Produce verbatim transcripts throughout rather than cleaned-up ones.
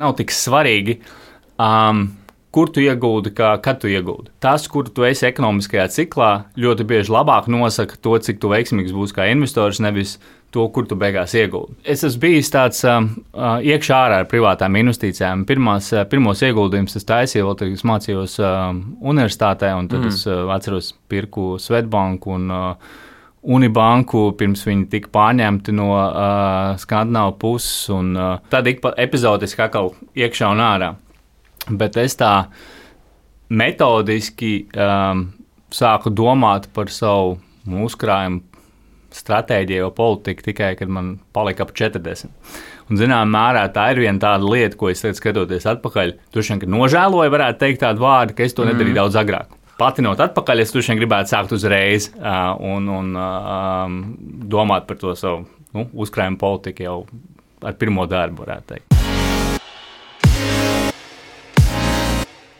Nav tik svarīgi, um, kur tu iegūdi, kā, kad tu iegūdi. Tas, kur tu esi ekonomiskajā ciklā, ļoti bieži labāk nosaka to, cik tu veiksmīgs būsi kā investors, nevis to, kur tu beigās iegūdi. Es esmu bijis tāds um, iekšā ārā ar privātām investīcijām. Pirmās, pirmos ieguldījumus es taisīju, vēl tad es mācījos um, universitātē, un tad mm. es uh, atceros pirku Svetbanku un uh, Unibanku, pirms viņi tika pārņemti no uh, Skandināvu puses, un uh, tad ik pa epizodiski atkal iekšā un ārā. Bet es tā metodiski um, sāku domāt par savu uzkrājumu stratēģiju vai politiku tikai, kad man palika ap četrdesmit. Un, zinām, mērā tā ir viena tāda lieta, ko es tagad skatoties atpakaļ. Droši vien, ka nožēloju, varētu teikt tādu vārdu, ka es to nedarīju mm. daudz agrāk. Patinot atpakaļ, es droši vien gribētu sākt uzreiz uh, un, un uh, domāt par to savu nu, uzkrājumu politiku jau ar pirmo darbu, varētu teikt.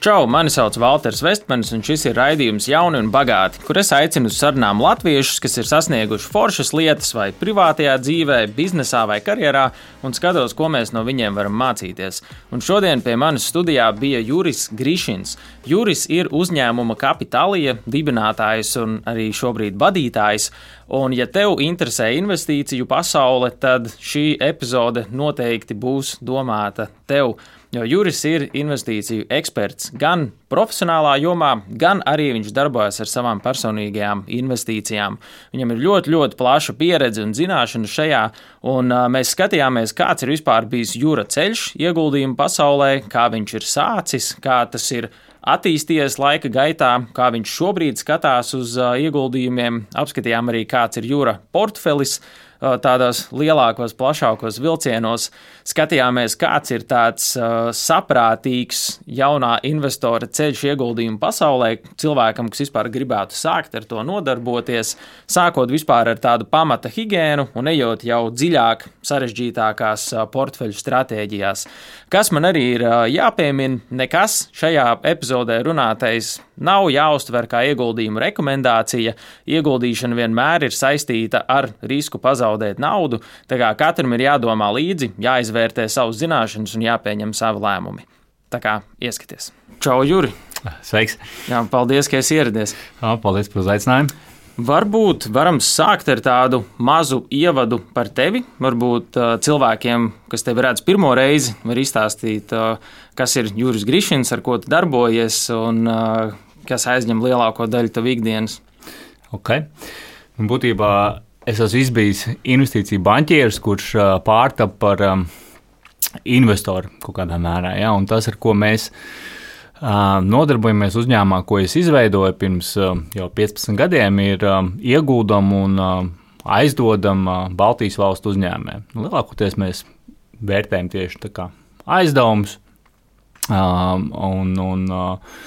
Čau, mani sauc Valters Vestmanis, un šis ir raidījums Jauni un bagāti, kur es aicinu uz sarunām latviešus, kas ir sasnieguši foršas lietas vai privātajā dzīvē, biznesā vai karjerā, un skatos, ko mēs no viņiem varam mācīties. Un šodien pie manis studijā bija Juris Grišins. Juris ir uzņēmuma Kapitalija dibinātājs un arī šobrīd vadītājs, un ja tev interesē investīciju pasaule, tad šī epizode noteikti būs domāta tev. Jo Juris ir investīciju eksperts gan profesionālā jomā, gan arī viņš darbojas ar savām personīgajām investīcijām. Viņam ir ļoti, ļoti plaša pieredze un zināšana šajā, un uh, mēs skatījāmies, kāds ir vispār bijis Jura ceļš ieguldījumu pasaulē, kā viņš ir sācis, kā tas ir attīstījies laika gaitā, kā viņš šobrīd skatās uz uh, ieguldījumiem. Apskatījām arī, kāds ir Jura portfelis, tādos lielākos, plašākos vilcienos. Skatījāmies, kāds ir tāds uh, saprātīgs jaunā investora ceļš ieguldījumu pasaulē cilvēkam, kas vispār gribētu sākt ar to nodarboties, sākot vispār ar tādu pamata higiēnu un ejot jau dziļāk sarežģītākās uh, portfeļu stratēģijās. Kas man arī ir uh, jāpiemina, nekas šajā epizodē runātais nav jāuztver kā ieguldījuma rekomendācija. Ieguldīšana vienmēr ir saistīta ar risku pazaudēt naudu, tā kā katram ir jādomā līdzi, jāizvērtē savas zināšanas un jāpieņem savi lēmumi. Tā kā ieskaties. Čau, Juri! Sveiks! Jā, paldies, ka esi ieradies. Jā, paldies par uzaicinājumu. Varbūt varam sākt ar tādu mazu ievadu par tevi. Varbūt uh, cilvēkiem, kas tevi redz pirmo reizi, var izstāstīt, uh, kas ir Juris Grišins, ar ko tu darbojies un uh, kas aizņem lielāko daļu tavu ikdienas. Ok. Būtībā es esmu izbijis investīciju banķieris, kurš uh, pārtapa par um, investoru kaut kādā mērā. Ja? Un tas, ar ko mēs uh, nodarbojamies uzņēmumā, ko es izveidoju pirms uh, jau piecpadsmit gadiem, ir uh, ieguldam un uh, aizdodam uh, Baltijas valstu uzņēmumiem. Lielākoties mēs vērtējam tieši tā kā aizdevumus uh, un, un uh,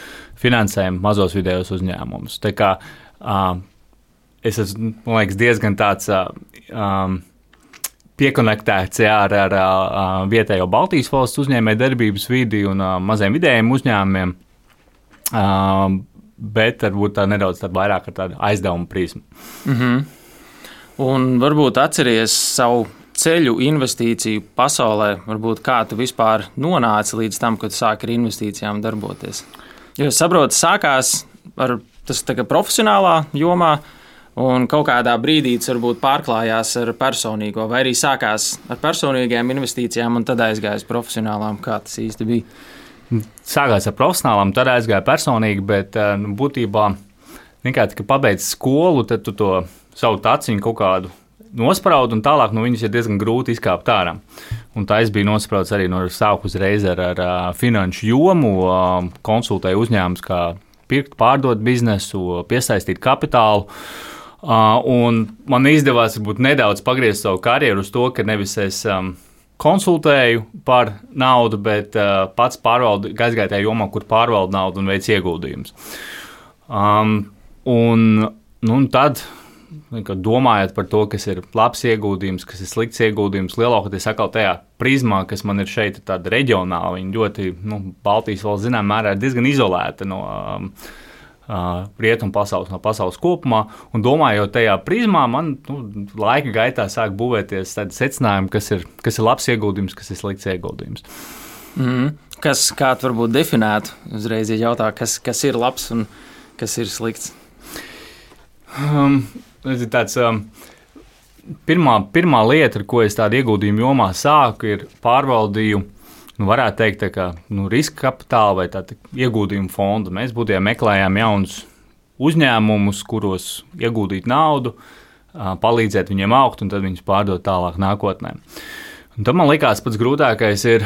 finansējam mazos vidējos uzņēmumus. Tā kā uh, es esmu, man liekas, diezgan tāds uh, um, piekonektēts jā, ar, ar uh, vietējo Baltijas valsts uzņēmēju darbības vidi un uh, maziem vidējiem uzņēmumiem, uh, bet varbūt tā nedaudz tāda vairāk ar tādu aizdevumu prizmu. Mm-hmm. Un varbūt atceries savu ceļu investīciju pasaulē, varbūt kā tu vispār nonāci līdz tam, kad sāki ar investīcijām darboties. Jo es saprotu, sākās ar tas tā kā profesionālā jomā, un kaut kādā brīdī tas varbūt pārklājās ar personīgo, vai arī sākās ar personīgajām investīcijām un tad aizgājās profesionālām, kā tas īsti bija? Sākās ar profesionālām, tad aizgāja personīgi, bet nu, būtībā nekā, ka pabeidz skolu, tad tu to savu taciņu kaut kādu nospraud, un tālāk no viņas ir diezgan grūti izkāpt ārā. Un tā es biju nosprauds arī no sāku uzreiz ar, ar, ar finanšu jomu, konsultēju uzņēmumus, kā pirkt, pārdot biznesu, piesaistīt kapitālu. Un man izdevās varbūt nedaudz pagriezt savu karjeru uz to, ka nevis es um, konsultēju par naudu, bet uh, pats pārvaldu, aizgāju tajā jomā, kur pārvaldu naudu un veic ieguldījumus. Um, un, nu, un tad domājot par to, kas ir labs ieguldījums, kas ir slikts ieguldījums, lielākoties atkal tajā prizmā, kas man ir šeit tāda reģionāla, viņa ļoti, nu, Baltijas valsts zinām mērā ir diezgan izolēta no um, uh, rietumu pasaules, no pasaules kopumā, un domājot tajā prizmā, man nu, laika gaitā sāk būvēties tādi secinājumi, kas ir, kas ir labs ieguldījums, kas ir slikts ieguldījums. Mm. Kas, kā tu varbūt definētu, uzreiz ja jautā, kas, kas ir labs un kas ir slikts? Um, tāds, um, pirmā, pirmā lieta, ar ko es tādu ieguldījumu jomā sāku, ir pārvaldīju, nu, varētu teikt, tā kā nu, riska kapitāla vai tāda ieguldījumu fonda. Mēs būtībā meklējām jaunus uzņēmumus, kuros ieguldīt naudu, uh, palīdzēt viņiem augt un tad viņus pārdot tālāk nākotnē. Un tad man likās pats grūtākais ir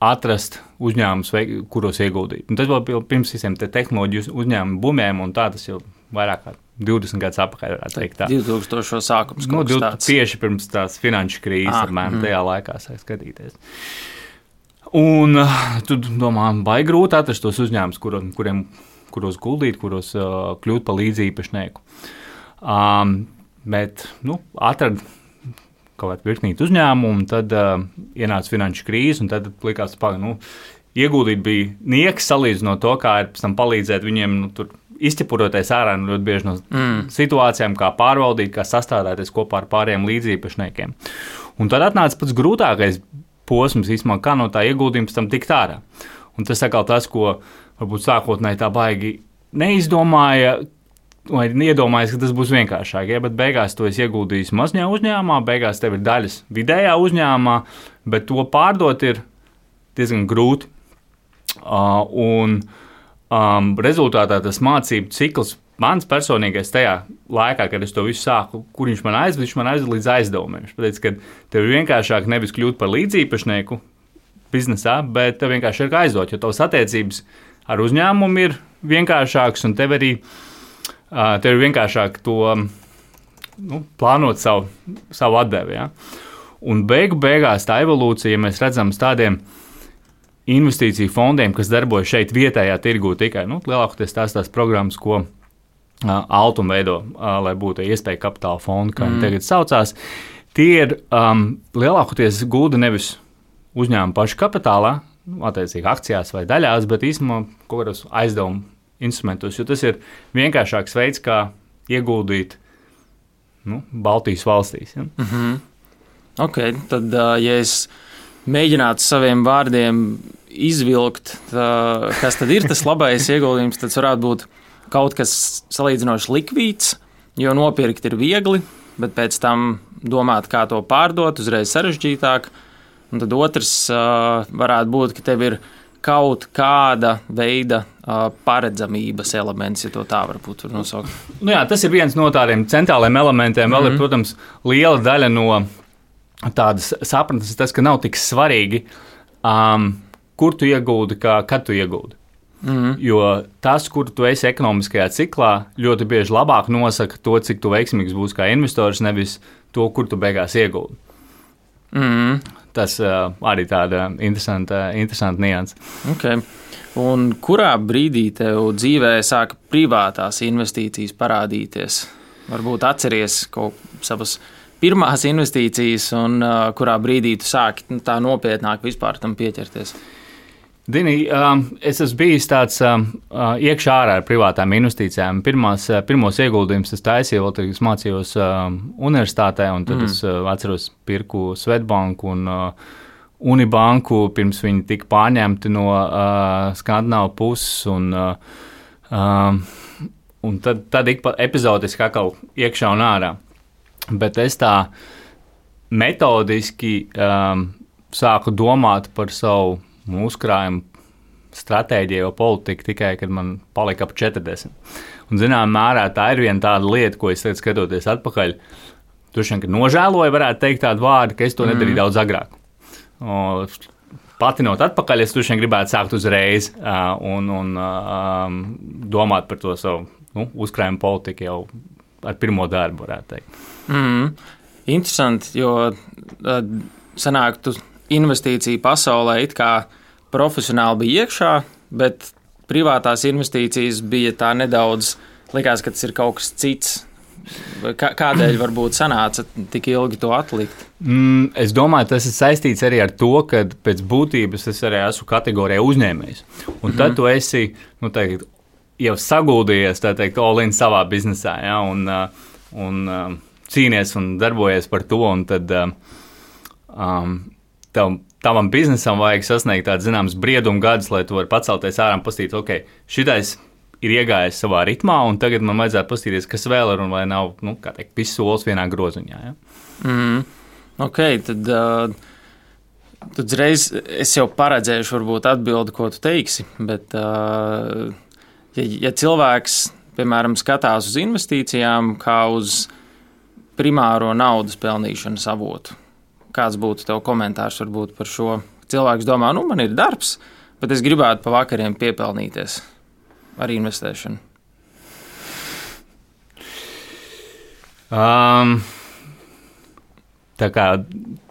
atrast uzņēmumus, kuros ieguldīt. Un tas vēl pirms visiem te tehnoloģiju uzņēmumu bumiem, un tā tas jau vairāk kā divdesmit gadus atpakaļ, varētu teikt tā. divtūkstošo sākums kaut nu, kas tāds. Tieši pirms tās finanšu krīzes, ah, apmēram mm. tajā laikā sāk skatīties. Un tu domā, vai grūti atrast tos uzņēmumus, kur, kuriem, kuros guldīt, kuros uh, kļūt par līdzīpašnieku. Um, bet, nu, atrad kaut kādu virknītu uzņēmumu, un tad uh, ienāca finanšu krīze, un tad likās, ka nu, ieguldīt bija nieks salīdzinot to, kā ir pēc tam palīdzēt viņiem nu, tur izķepuroties ārā nu, ļoti bieži no mm. situācijām, kā pārvaldīt, kā sastādēties kopā ar pārējiem līdzīpašniekiem. Un tad atnāca pats grūtākais posms, īstenībā, kā no tā ieguldījuma pēc tam tikt ārā. Un tas atkal tas, ko varbūt sākotnēji tā baigi neizdomāja, vai iedomājies, ka tas būs vienkāršāk, ja? Bet beigās to es ieguldīju mazajā uzņēmumā, beigās tev ir daļas vidējā uzņēmumā, bet to pārdot ir diezgan grūti. Uh, un um, rezultātā tas mācību cikls, mans personīgais tajā laikā, kad es to visu sāku, kur viņš man aizved, viņš man aizved līdz aizdevumiem. Viņš pateica, ka tev ir vienkāršāk nevis kļūt par līdzīpašnieku biznesā, bet tev vienkārši ir kā aizdot, jo tavas attiecības ar uzņēmumu ir vienkāršākas un tev arī Uh, tev ir vienkāršāk to nu, plānot savu, savu atdevi. Ja? Un beigu beigās tā evolūcija, ja mēs redzam tādiem investīciju fondiem, kas darbojas šeit vietējā tirgū tikai, nu, lielākoties tās tās programmas, ko uh, Altum veido, uh, lai būtu iespēja kapitāla fonda, kā mm. viņi tagad saucās, tie ir um, lielākoties gulda nevis uzņēmuma pašu kapitālā, attiecīgi akcijās vai daļās, bet īstenībā kaut kādos aizdevumu instrumentos, jo tas ir vienkāršāks veids, kā ieguldīt nu, Baltijas valstīs. Ja? Mm-hmm. Ok, tad, ja es mēģinātu saviem vārdiem izvilkt, tā, kas tad ir tas labais ieguldījums, tad varētu būt kaut kas salīdzinoši likvīds, jo nopirkt ir viegli, bet pēc tam domāt, kā to pārdot, uzreiz sarežģītāk. Un tad otrs varētu būt, ka tev ir kaut kāda veida uh, paredzamības elements, ja to tā varbūt var nosaukt. Nu jā, tas ir viens no tādiem centrāliem elementiem. Vēl mm-hmm. ir, protams, liela daļa no tādas sapratnes, tas, ka nav tik svarīgi, um, kur tu ieguldi, kā kad tu ieguldi. Mm-hmm. Jo tas, kur tu esi ekonomiskajā ciklā, ļoti bieži labāk nosaka to, cik tu veiksmīgs būsi kā investors, nevis to, kur tu beigās ieguldi. Mm-hmm. Tas uh, arī tāda interesanta, interesanta nianse. Okay. Un kurā brīdī tev dzīvē sāka privātās investīcijas parādīties? Varbūt atceries kaut savas pirmās investīcijas un uh, kurā brīdī tu sāki tā nopietnāk vispār tam pieķerties? Dini, um, es esmu bijis tāds um, iekšā ārā ar privātām investīcijām. Pirmās, pirmos ieguldījumus es taisīju, vēl tad es mācījos um, universitātē, un tad mm. es uh, atceros pirku Svetbanku un uh, Unibanku, pirms viņi tika pārņemti no uh, Skandināvu puses, un, uh, um, un tad, tad ik pa epizodiski atkal iekšā un ārā. Bet es tā metodiski um, sāku domāt par savu uzkrājumu stratēģiju, politiku tikai, kad man palika ap četrdesmit. Un, zinām, mērā tā ir viena tāda lieta, ko es teicu, skatoties atpakaļ. Droši vien, ka nožēloju, varētu teikt tādu vārdu, ka es to nedarīju mm. daudz agrāk. O, patinot atpakaļ, es droši vien gribētu sākt uzreiz uh, un, un uh, domāt par to savu nu, uzkrājumu politiku jau ar pirmo darbu, varētu teikt. Mm. Interesanti, jo uh, sanāk, tu investīciju pasaulē it kā profesionāli bija iekšā, bet privātās investīcijas bija tā nedaudz, likās, ka tas ir kaut kas cits. Kādēļ varbūt sanāca tik ilgi to atlikt? Mm, es domāju, tas ir saistīts arī ar to, ka pēc būtības es arī esmu kategorijā uzņēmējs. Un mm-hmm. tad tu esi, nu, teikt, jau saguldījies, tā teikt, all in savā biznesā, ja, un, un cīnies un darbojies par to, un tad um, tev tavam biznesam vajag sasniegt tādu zināmas briedumu gadus, lai tu vari pacelties ārā un pastīt, ok, šitais ir iegājis savā ritmā, un tagad man vajadzētu pastīties, kas vēl ir, un lai nav, nu, kā teikt, viss solis vienā groziņā. Ja? Mm. Ok, tad, uh, tad uzreiz es jau paredzēšu varbūt atbildi, ko tu teiksi, bet uh, ja, ja cilvēks, piemēram, skatās uz investīcijām kā uz primāro naudas pelnīšanas avotu, kāds būtu tev komentārs varbūt par šo? Cilvēks domā, nu, man ir darbs, bet es gribētu pa vakariem piepelnīties ar investēšanu. Um, tā kā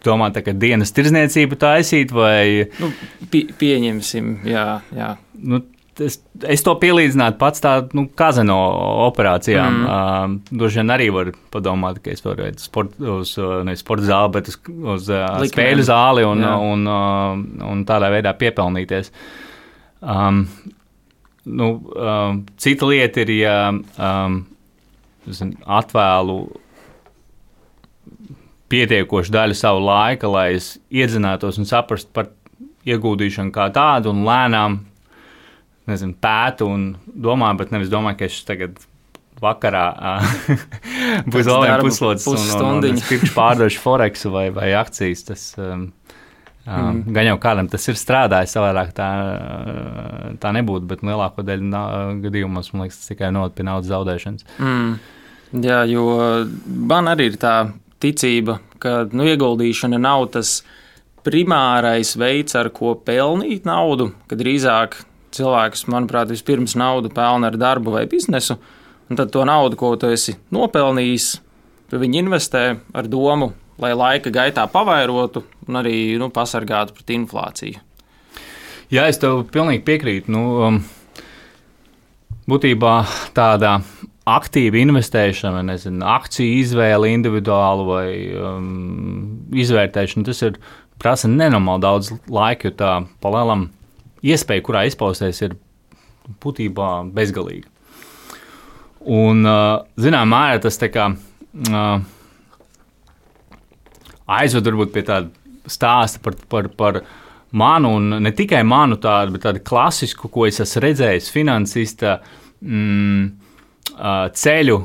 domā, tā kā dienas tirdzniecību taisīt vai... Nu, pie, pieņemsim, jā, jā. Nu, es, es to pielīdzinātu pats tā, nu, kazino operācijām. Mm. Uh, Droši vien arī var padomāt, ka es varu iet sport, uz, ne sporta zāli, bet uz, uz uh, spēļu zāli un, un, un, un tādā veidā piepelnīties. Um, nu, um, cita lieta ir, ja um, zin, atvēlu pietiekošu daļu savu laika, lai es iedzinātos un saprastu par ieguldīšanu kā tādu un lēnām nezinu, pētu un domāju, bet nevis domāju, ka es tagad vakarā būs vēl viena puslodes un, un, un es pirkšu pārdošu Foreksu vai, vai akcijas. Tas, um, mm. Gan jau kādam tas ir strādājis, savādāk tā, tā nebūtu, bet lielāko daļu gadījumos, man liekas, tas tikai noved pie naudas zaudēšanas. Mm. Jā, jo man arī ir tā ticība, ka nu, ieguldīšana nav tas primārais veids, ar ko pelnīt naudu, kad drīzāk cilvēks, manuprāt, vispirms naudu pelna ar darbu vai biznesu, un tad to naudu, ko tu esi nopelnījis, tu viņu investē ar domu, lai laika gaitā pavairotu un arī nu, pasargātu pret inflāciju. Jā, es tev pilnīgi piekrītu. Nu, um, būtībā tāda aktīva investēšana, nezinu, akciju izvēle individuālu vai um, izvērtēšana, tas ir prasa nenormāli daudz laika, jo tā palielam iespēja, kurā izpausties, ir būtībā bezgalīga. Un, zinām, mērā tas tā kā aizved varbūt pie tāda stāsta par, par, par manu, un ne tikai manu tādu, bet tādu klasisku, ko es esmu redzējis finansista mm, ceļu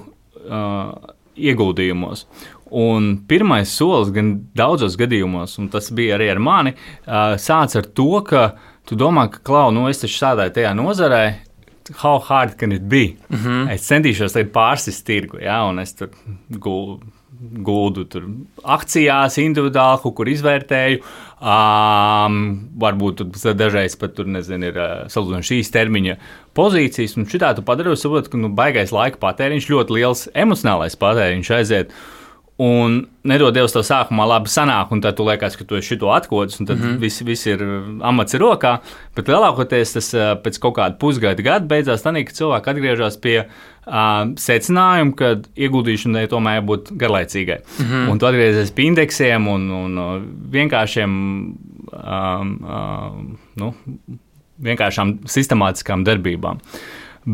ieguldījumos. Un pirmais solis gan daudzos gadījumos, un tas bija arī ar mani, sāc ar to, ka tu domā, ka, klau, nu es taču strādāju tajā nozarē, how hard can it be? Mm-hmm. Es centīšos tagad pārsist tirgu, ja, un es tur guldu, guldu tur akcijās individuāli, kaut kur izvērtēju, um, varbūt tur dažreiz pat tur, nezinu, ir salūdzoši šīs termiņa pozīcijas, un šitā tu padari, saprot, ka nu, baigais laika patēriņš, ļoti liels emocionālais patēriņš aiziet, un nedod Dievs tev sākumā labi sanāk, un tad tu liekas, ka tu esi šito atkodis, un tad mm-hmm. viss vis ir amats ir rokā, bet lielākoties tas pēc kaut kāda pusgada gada beidzās tā, ka cilvēki atgriežas pie uh, secinājuma, ka ieguldīšanai tomēr jābūt garlaicīgai. Mm-hmm. Un tu atgriezies pie indeksiem un, un vienkāršiem, um, um, nu, vienkāršām sistemātiskām darbībām.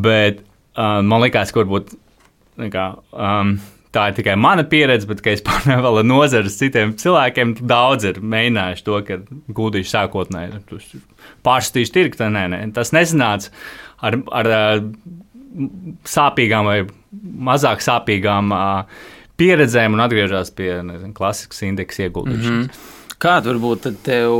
Bet uh, man likās, ka varbūt nekā, um, tā ir tikai mana pieredze, bet, kad es pārnēju vēl ar nozares citiem cilvēkiem, daudz ir mēģinājuši to, ka guldīšu sākotnēji, pārstīšu tirgu, tā nē, nē. Tas nesanāca ar, ar sāpīgām vai mazāk sāpīgām pieredzēm un atgriežās pie, nezinu, klasiskas indeksa ieguldīšanas. Mm-hmm. Kāda varbūt tad tev,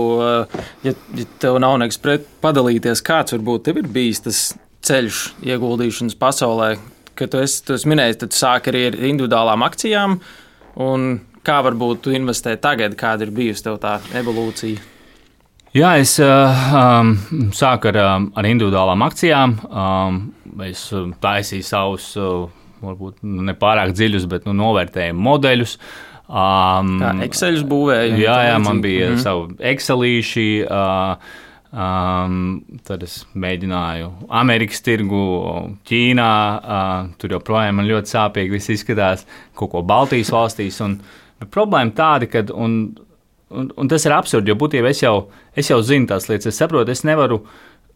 ja, ja tev nav nekas pret padalīties, kāds varbūt tev ir bijis tas ceļš ieguldīšanas pasaulē, ka tu esi, tu esi minējis, tad tu sāki arī ar individuālām akcijām, un kā varbūt tu investē tagad, kāda ir bijusi tev tā evolūcija? Jā, es um, sāku ar, ar individuālām akcijām, um, es taisīju savus, uh, varbūt nepārāk dziļus, bet nu, novērtējumu modeļus. Um, kā Excelus būvēja? Jā, jā, man bija mm-hmm. savu Excelīši, uh, Um, tad es mēģināju Amerikas tirgu, Ķīnā, uh, tur joprojām man ļoti sāpīgi viss izskatās, kaut ko Baltijas valstīs. Un, problēma tāda, ka, un, un, un tas ir absurdi, jo būtībā es jau, es jau zinu tās lietas, es saprotu, es nevaru,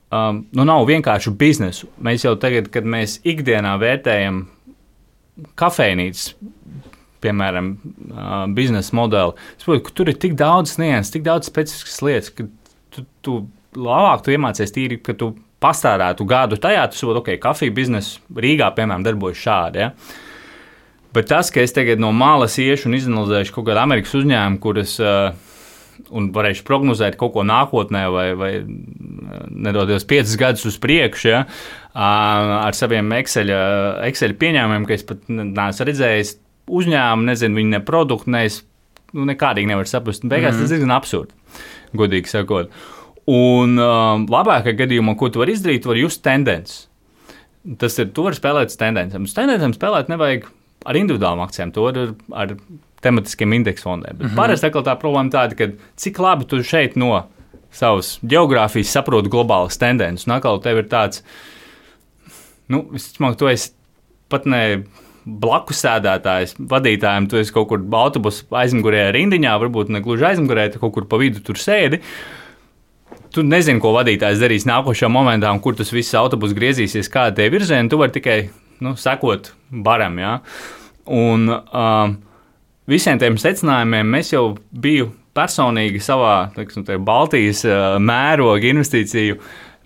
um, nu nav vienkārši biznesu. Mēs jau tagad, kad mēs ikdienā vērtējam kafejnīcas, piemēram, uh, biznesa modeli. Es saprotu, ka tur ir tik daudz nianses, tik daudz specifiskas lietas, ka tu, tu labāk tu iemācies tīri, ka tu pastārētu gadu tajā, tu saproti, ok, kafiju biznesa Rīgā, piemēram, darbojas šādi. Ja? Bet tas, ka es tagad no malas iešu un izanalizēšu kaut kādu Amerikas uzņēmumu, kuras uh, un varēšu prognozēt kaut ko nākotnē vai, vai nedodies piecus gadus uz priekšu, ja, ar saviem Excel, Excel pieņēmumiem, ka es pat neesmu redzējis uzņēmumu, nezinu, viņi ne produktu, ne es nu, nekādīgi nevaru saprast. Beigās mm-hmm. tas diezgan absurdi, godīgi sakot. Un um, labākajā gadījumā, ko tu vari izdarīt, tu vari just tendences. Tas ir, tu vari spēlēt uz tendencēm. Uz tendencēm spēlēt nevajag ar individuālām akcijām, to var ar, ar tematiskiem indeksu fondiem. Bet mm-hmm. parasti tā problēma tāda, ka cik labi tu šeit no savas geogrāfijas saproti globālas tendences. Un atkal tev ir tāds, nu, visticamāk, tu esi pat ne blakus sēdētājs, vadītājiem, tu esi kaut kur autobusu aizmugurē rindiņā, varbūt ne gluži aizmugurē, tu kaut kur pa vidu tur sēdi. Tu nezini, ko vadītājs darīs nākošajā momentā, un kur tas viss autobus griezīsies, kāda tie virzieni, tu vari tikai, nu, sekot baram, jā. Un, um, visiem tiem secinājumiem mēs jau biju personīgi savā teiksim, Baltijas uh, mēroga investīciju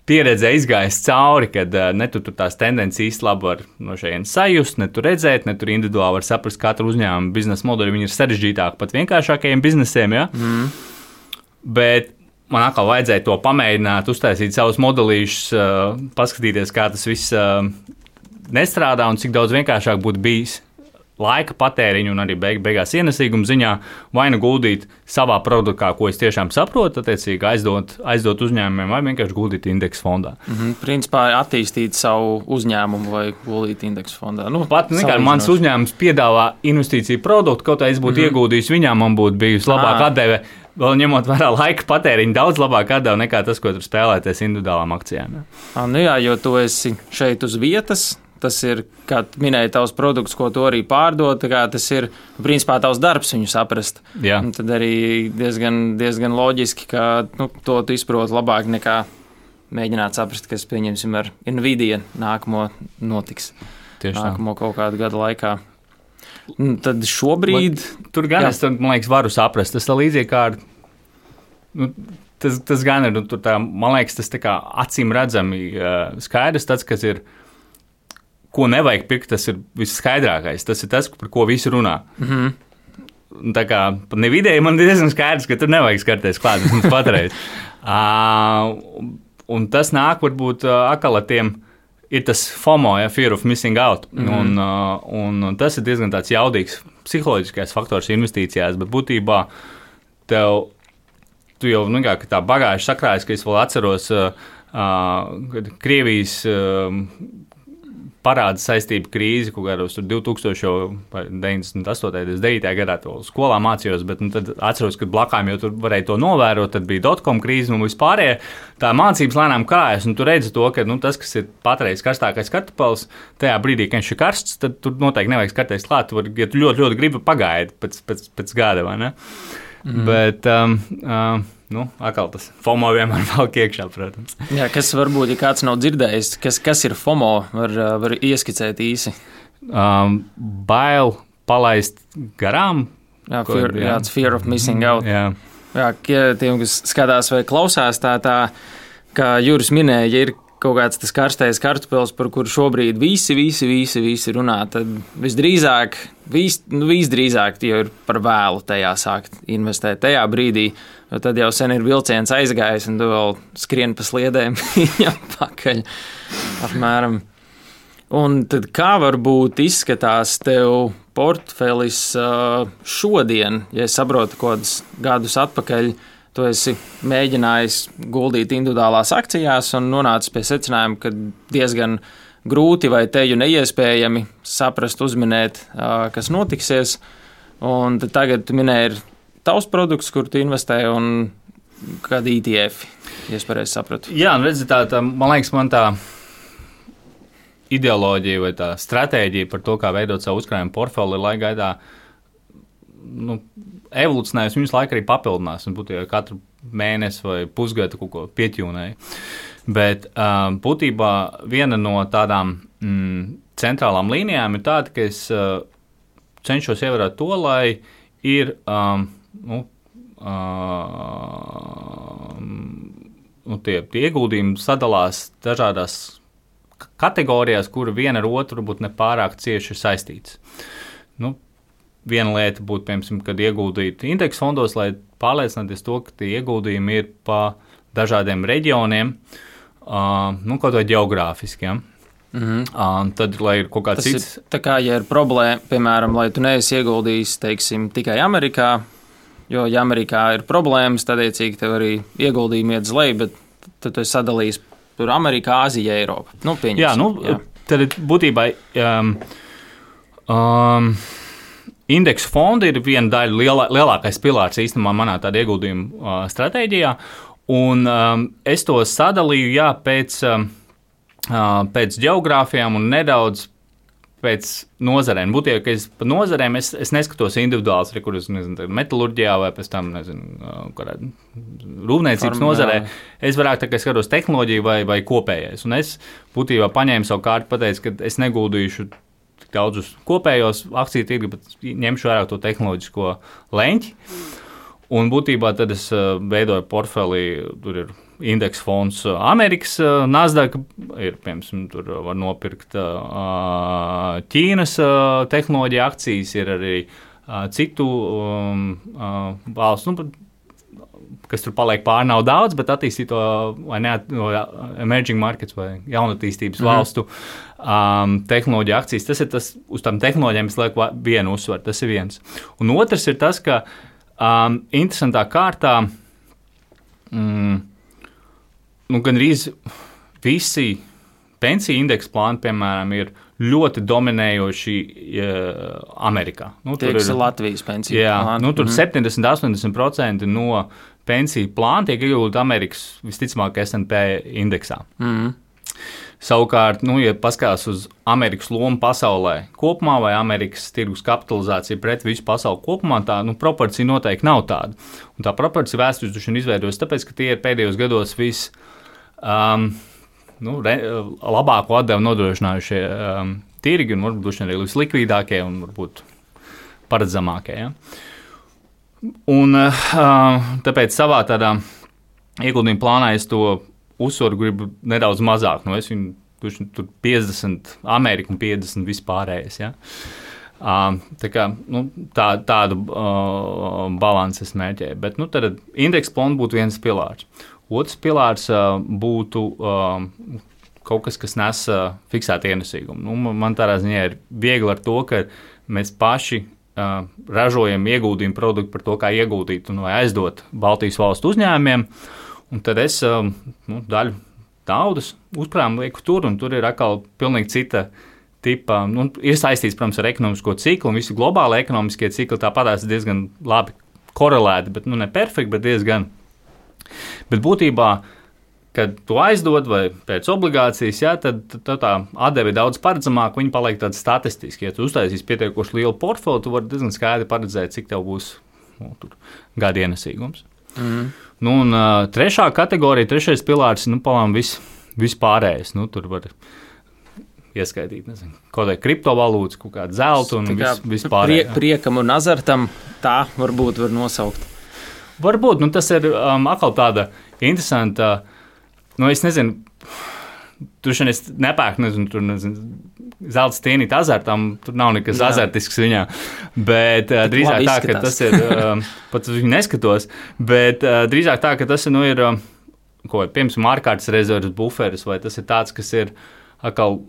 pieredzē izgājis cauri, kad uh, ne tu tur tās tendences īsti labi var no šejienes sajust, ne tu redzēt, ne tur individuāli var saprast katru uzņēmumu biznesa modeļu, viņi ir sarežģītāki pat vienkāršākajiem biznesiem, ja? Mm. Bet man atkal vajadzēja to pamēģināt, uztaisīt savus modelīšus, uh, paskatīties, kā tas viss uh, nestrādā un cik daudz vienkāršāk būtu bijis laika patēriņu un arī beig, beigās ienesīguma ziņā vai nu guldīt savā produktā, ko es tiešām saprotu, attiecīgi aizdot, aizdot uzņēmumiem vai vienkārši guldīt indeksu fondā. Mm-hmm. Principā attīstīt savu uzņēmumu vai guldīt indeksu fondā. Nu, Pat vienkārši mans uzņēmums piedāvā investīciju produktu, kaut kā es būtu mm-hmm. ieguldījis viņā, man būtu bijusi labāka atdeve, vēl ņemot vērā laika patēriņu, daudz labāk atdeva nekā tas, ko tur spēlēties individuālām akcijām. Ja. A, nu jā, jo tu esi šeit uz vietas. Tas ir, kā minēja, tavs produkts, ko tu arī pārdod, tas ir, principā, tavs darbs viņu saprast. Jā. Un tad arī diezgan, diezgan loģiski, ka nu, to tu izproti labāk nekā mēģināt saprast, kas, pieņemsim, ar Nvidia nākamo notiks. Tieši nākamo tā. Kaut kādu gadu laikā. Un tad šobrīd... Man, tur gan jā. Es, tad, man liekas, varu saprast. Tas tā līdzīgi kā ar... Nu, tas, tas gan ir, nu, tur tā, man liekas, tas tā kā acīm redzami uh, skaidrs, tāds, kas ir ko nevajag pirkt, tas ir visskaidrākais. Tas ir tas, par ko visi runā. Mm-hmm. Tā kā ne vidēji man diezgan skaidrs, ka tur nevajag skarties klāt, vismaz patreiz. uh, un tas nāk varbūt uh, akal ar tiem, ir tas FOMO, ja, fear of missing out. Mm-hmm. Un, uh, un tas ir diezgan tāds jaudīgs psiholoģiskais faktors investīcijās, bet būtībā tev, tu jau nu, kā, tā bagāži sakrājas, ka es vēl atceros, uh, uh, Krievijas uh, parāda saistību krīzi, ko gados tur divtūkstošdeviņdesmit astotajā, deviņdesmit devītajā gadā to skolā mācījos, bet nu, tad atceros, ka blakām jau tur varēja to novērot, tad bija dotcom krīze un vispārējie. Tā mācības lēnām krājas, un tu redzi to, ka nu, tas, kas ir patreiz karstākais kartupels, tajā brīdī, kad viņš ir karsts, tad tur noteikti nevajag skarties klāt, tu var, ja tu ļoti, ļoti gribi pagaidi pēc, pēc, pēc gada, vai ne? Mm. Bet, um, um, nu, atkal tas FOMO vienmēr valk iekšā, protams. Jā, kas varbūt, ja kāds nav dzirdējis, kas, kas ir FOMO, var, var ieskicēt īsi? Um, bail palaist garām. Jā, fear, jā. jā, fear of missing out. Jā. Jā, tiem, kas skatās vai klausās, tā, tā kā Juris minēja, ja ir kaut kāds tas karstais kartupels, par kuru šobrīd visi, visi, visi, visi runā, tad visdrīzāk, vis, nu, visdrīzāk jau ir par vēlu tajā sākt investēt tajā brīdī, jo tad jau sen ir vilciens aizgājis un tu vēl skrien pa sliedēm viņam pakaļ apmēram. Un tad kā varbūt izskatās tev portfelis šodien, ja es saprotu kādus gadus atpakaļ, tu esi mēģinājis guldīt individuālās akcijās un nonācis pie secinājuma, ka diezgan grūti vai teju neiespējami saprast, uzminēt, kas notiksies. Un tad tagad tu minēji ir tavs produkts, kur tu investē un kādi E T F, ja es pareizi sapratu. Jā, un redzi, tā, tā, man liekas, man tā ideoloģija vai tā stratēģija par to, kā veidot savu uzkrājumu portfeli, laika gaitā, nu, evolucionējas, viņas laika arī papildinās, un būtu jau katru mēnesi vai pusgadu kaut ko pieķūnēja. Bet uh, būtībā viena no tādām mm, centrālām līnijām ir tāda, ka es uh, cenšos ievērot to, lai ir um, nu, um, nu, tie, tie ieguldījumi sadalās dažādās kategorijās, kura viena ar otru varbūt nepārāk cieši ir saistītas. Nu, viena lieta būtu, piemēram, kad ieguldīt indeksu fondos, lai pārliecināties to, ka tie ieguldījumi ir pa dažādiem reģioniem, uh, nu, kaut vai geogrāfiski, ja? Mm-hmm. Uh, tad, lai ir kaut kāds cits... Ir, tā kā, ja ir problēma, piemēram, lai tu neesi ieguldījis, teiksim, tikai Amerikā, jo, ja Amerikā ir problēmas, tad, iecīgi, tev arī ieguldījumi iet uz leju, bet tad tu esi sadalījis tur Amerikā, Āzija, Eiropa. Nu, pieņemsim. Jā, nu, jā. Tad būtībā um, um, indeksu fondi ir viena daļa, lielā, lielākais pilārs īstenībā manā tāda ieguldījuma uh, stratēģijā, un um, es to sadalīju, jā, pēc... Um, pēc geogrāfijām un nedaudz pēc nozarēm. Būtībā, ka es pa nozarēm es, es neskatos individuāls, kur es nezinu, metalurģijā vai pēc tam, nezinu, kādā rūpniecības nozarē. Es vairāk tā kā skatos tehnoloģiju vai, vai kopējais. Un es būtībā paņēmu savu kārtu, pateicu, ka es neguldīšu tik daudz uz kopējos akciju tirgu, bet ņemšu vairāk to tehnoloģisko leņķi. Un būtībā tad es veidoju portfeli, tur ir indeksu fonds Amerikas, Nasdaq, ir, piemēram, tur var nopirkt Ķīnas tehnoloģija akcijas, ir arī citu um, valsts, nu, kas tur paliek pāri, nav daudz, bet attīstīto vai ne, no emerging markets vai jaunatīstības mm. valstu um, tehnoloģija akcijas. Tas ir tas, uz tām tehnoloģijām es lieku vienu uzsvaru, tas ir viens. Un otrs ir tas, ka um, interesantā kārtā mm, nu, gandrīz visi pensiju indeksu plāni, piemēram, ir ļoti dominējoši uh, Amerikā. Nu, tur ir Latvijas pensiju jā, plāni. Nu, tur mm-hmm. septiņdesmit līdz astoņdesmit procenti no pensiju plāna tiek ieguldīti Amerikas visticamāk S and P indeksā. Mm-hmm. Savukārt, nu, ja paskatās uz Amerikas lomu pasaulē kopumā vai Amerikas tirgus kapitalizāciju pret visu pasauli kopumā, tā nu, proporcija noteikti nav tāda. Un tā proporcija vēsturiski izveidojas tāpēc, ka tie ir pēdējos gados viss Um, nu, re, labāko atdevu nodrošinājušie um, tirgi un varbūt arī vislikvidākie un varbūt paredzamākie. Ja? Un uh, tāpēc savā tādā ieguldījuma plānā es to uzsvaru gribu nedaudz mazāk. Nu, es viņu tur piecdesmit Ameriku un piecdesmit vispārējais. Ja? Uh, tā kā, nu, tā, tādu uh, balansu es mērķēju. Bet nu, tad indeksu plāns būtu viens pilārs. Otrs pilārs uh, būtu uh, kaut kas, kas nes uh, fiksētu ienesīgumu. Nu, man tādā ziņā ir viegli ar to, ka mēs paši uh, ražojam ieguldījumu produktu par to, kā ieguldīt un vai aizdot Baltijas valstu uzņēmumiem. Un tad es uh, nu, daļu naudas uzkrājumu lieku tur, un tur ir atkal pilnīgi cita tipa. Nu, ir saistīts, protams, ar ekonomisko ciklu, un visi globāli ekonomiskie cikli tāpatās diezgan labi korelēti, bet nu, ne perfekti, bet diezgan. Bet būtībā, kad tu aizdod vai pēc obligācijas, jā, tad, tad tā atdeve ir daudz paredzamāka, viņa paliek tāda statistiska. Ja tu uztaisīsi pietiekoši lielu portfeli, tu vari diezgan skaidri paredzēt, cik tev būs nu, tur, gada ienesīgums. Mm. Nu, un uh, trešā kategorija, trešais pilārs, nu, palām vis, vispārējais. Nu, tur var ieskaitīt, nezinu, kaut vai kriptovalūtas, kaut kādu zeltu un vis, vispārējais. Prie, priekam un azartam tā varbūt var nosaukt. Varbūt, nu, tas ir um, atkal tāda interesanta, nu, es nezinu, tur šodien es nepērku, nezinu, tur, nezinu, zelta stienīt azartam, tur nav nekas Jā. azartisks viņā, bet uh, drīzāk tā, ka tas ir, um, pat uz viņu neskatos, bet uh, drīzāk tā, ka tas, nu, ir, um, ko, piemēram, ārkārtas rezerves buferis, vai tas ir tāds, kas ir atkal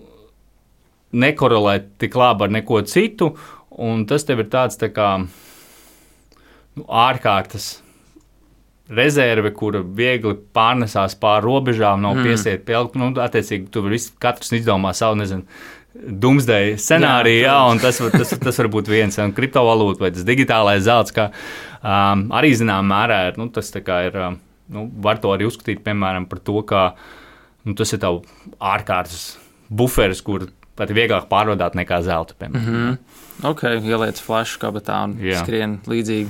nekorelē tik labi ar neko citu, un tas tev ir tāds, tā kā, nu, ārkārtas rezerve, kura viegli pārnesās pāri robežām, nav mm. piesiet pie, nu, attiecīgi, tu vari katrs izdomā savu, nezinu, doomsday scenāriju, jā, jā, un tas, tas, tas var būt viens, un kriptovalūta vai tas digitālais zelts, kā um, arī zinām mērā ir, nu, tas tā kā ir, um, nu, var to arī uzskatīt, piemēram, par to, ka, nu, tas ir tavu ārkārtas buferis, kur pat vieglāk pārvadāt nekā zelta, piemēram. Mm-hmm. Ok, ieliec flašu kabatā un jā. Skrien līdzīgi.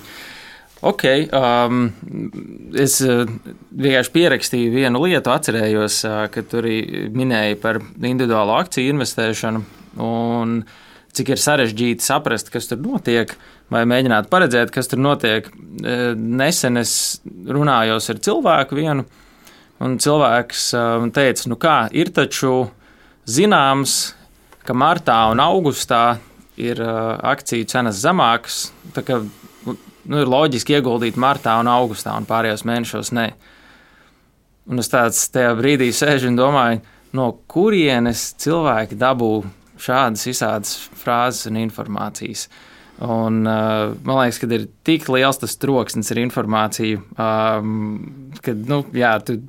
Ok, um, es uh, vienkārši pierakstīju vienu lietu, atcerējos, uh, ka tur arī minēja par individuālo akciju investēšanu, un cik ir sarežģīti saprast, kas tur notiek, vai mēģināt paredzēt, kas tur notiek. Nesen es runājos ar cilvēku vienu, un cilvēks teica, nu kā, ir taču zināms, ka martā un augustā ir akciju cenas zemākas, tā kā nu, ir loģiski ieguldīt martā un augustā, un pārējos mēnešos ne. Un es tāds tajā brīdī sēžu un domāju, no kurienes cilvēki dabū šādas visādas frāzes un informācijas. Un, uh, man liekas, ka ir tik liels tas troksnis ar informāciju, um, ka, nu, jā, tu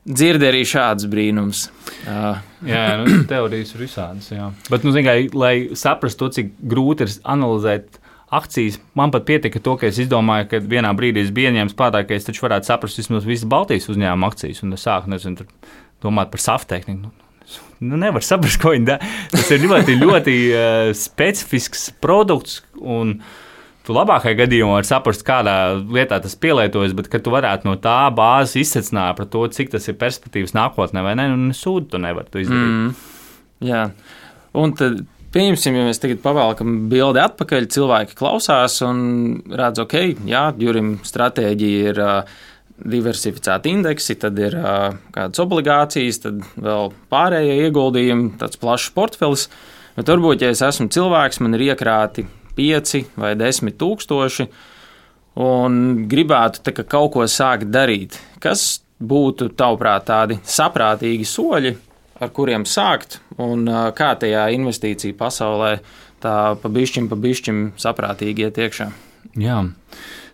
dzirdi arī šādus brīnums. Uh. Jā, nu, teorijas ir visādas, jā. Bet, nu, zin, kā, lai saprastu to, cik grūti ir analizēt akcijas, man pat pietika to, ka es izdomāju, ka vienā brīdī es biju ieņēmis prātā, ka es taču varētu saprast vismaz visas Baltijas uzņēmuma akcijas, un es sāku, nezinu, domāt par saftehniku. Nu, nevar saprast, ko viņi dara. Tas ir ļoti, ļoti uh, specifisks produkts, un tu labākajā gadījumā vari saprast, kādā lietā tas pielietojas, bet ka tu varētu no tā bāzes izsecināt par to, cik tas ir perspektīvas nākotnē, vai ne, un sūdu tu nevar to izdarīt. Mm, jā, un tad pieņemsim, ja mēs tagad pavēlkam bildi atpakaļ, cilvēki klausās un redz, ok, jā, Jurim stratēģija ir uh, diversificēti indeksi, tad ir uh, kādas obligācijas, tad vēl pārējie ieguldījumi, tāds plašs portfelis. Bet varbūt, ja es esmu cilvēks, man ir iekrāti pieci vai desmit tūkstoši un gribētu tā, ka kaut ko sākt darīt. Kas būtu, tavuprāt, tādi saprātīgi soļi, ar kuriem sākt, un uh, kā tajā investīciju pasaulē tā pa bišķim, pa bišķim saprātīgi iet iekšā? Jā.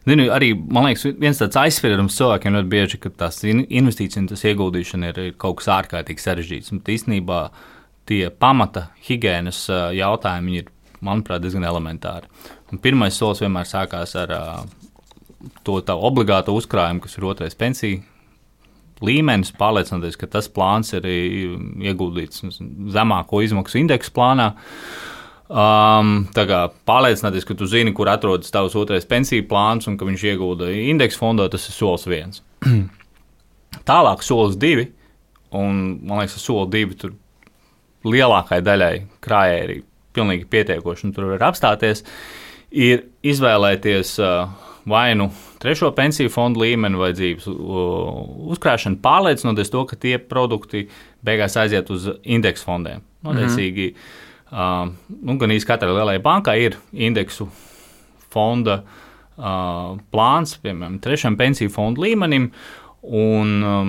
Zinu, arī, man liekas, viens tāds aizspriedums cilvēkiem ļoti bieži, ka tās investīcijas un tas ieguldīšana ir kaut kas ārkārtīgi sarežģīts. Un īstenībā tie pamata higienas jautājumi ir, manuprāt, diezgan elementāri. Un pirmais solis vienmēr sākās ar to tā obligāto uzkrājumu, kas ir otrais pensiju līmenis, pārliecinoties, ka tas plāns ir ieguldīts zemāko izmaksu indeksu plānā. Um, tā kā pārliecināties, ka tu zini, kur atrodas tavs otrais pensiju plāns un ka viņš iegulda indeksu fondā, tas ir solis viens. Tālāk solis divi, un man liekas, soli divi tur lielākai daļai krājai ir pilnīgi pietiekoši, un tur var apstāties, ir izvēlēties uh, vai nu trešo pensiju fondu līmeni vai dzīves uh, uzkrāšanu, pārliecinoties to, ka tie produkti beigās aiziet uz indeksu fondiem. Notiecīgi, mm-hmm. Uh, nu, gan īsti katrai lielajai bankai ir indeksu fonda uh, plāns, piemēram, trešam pensiju fondu līmenim, un uh,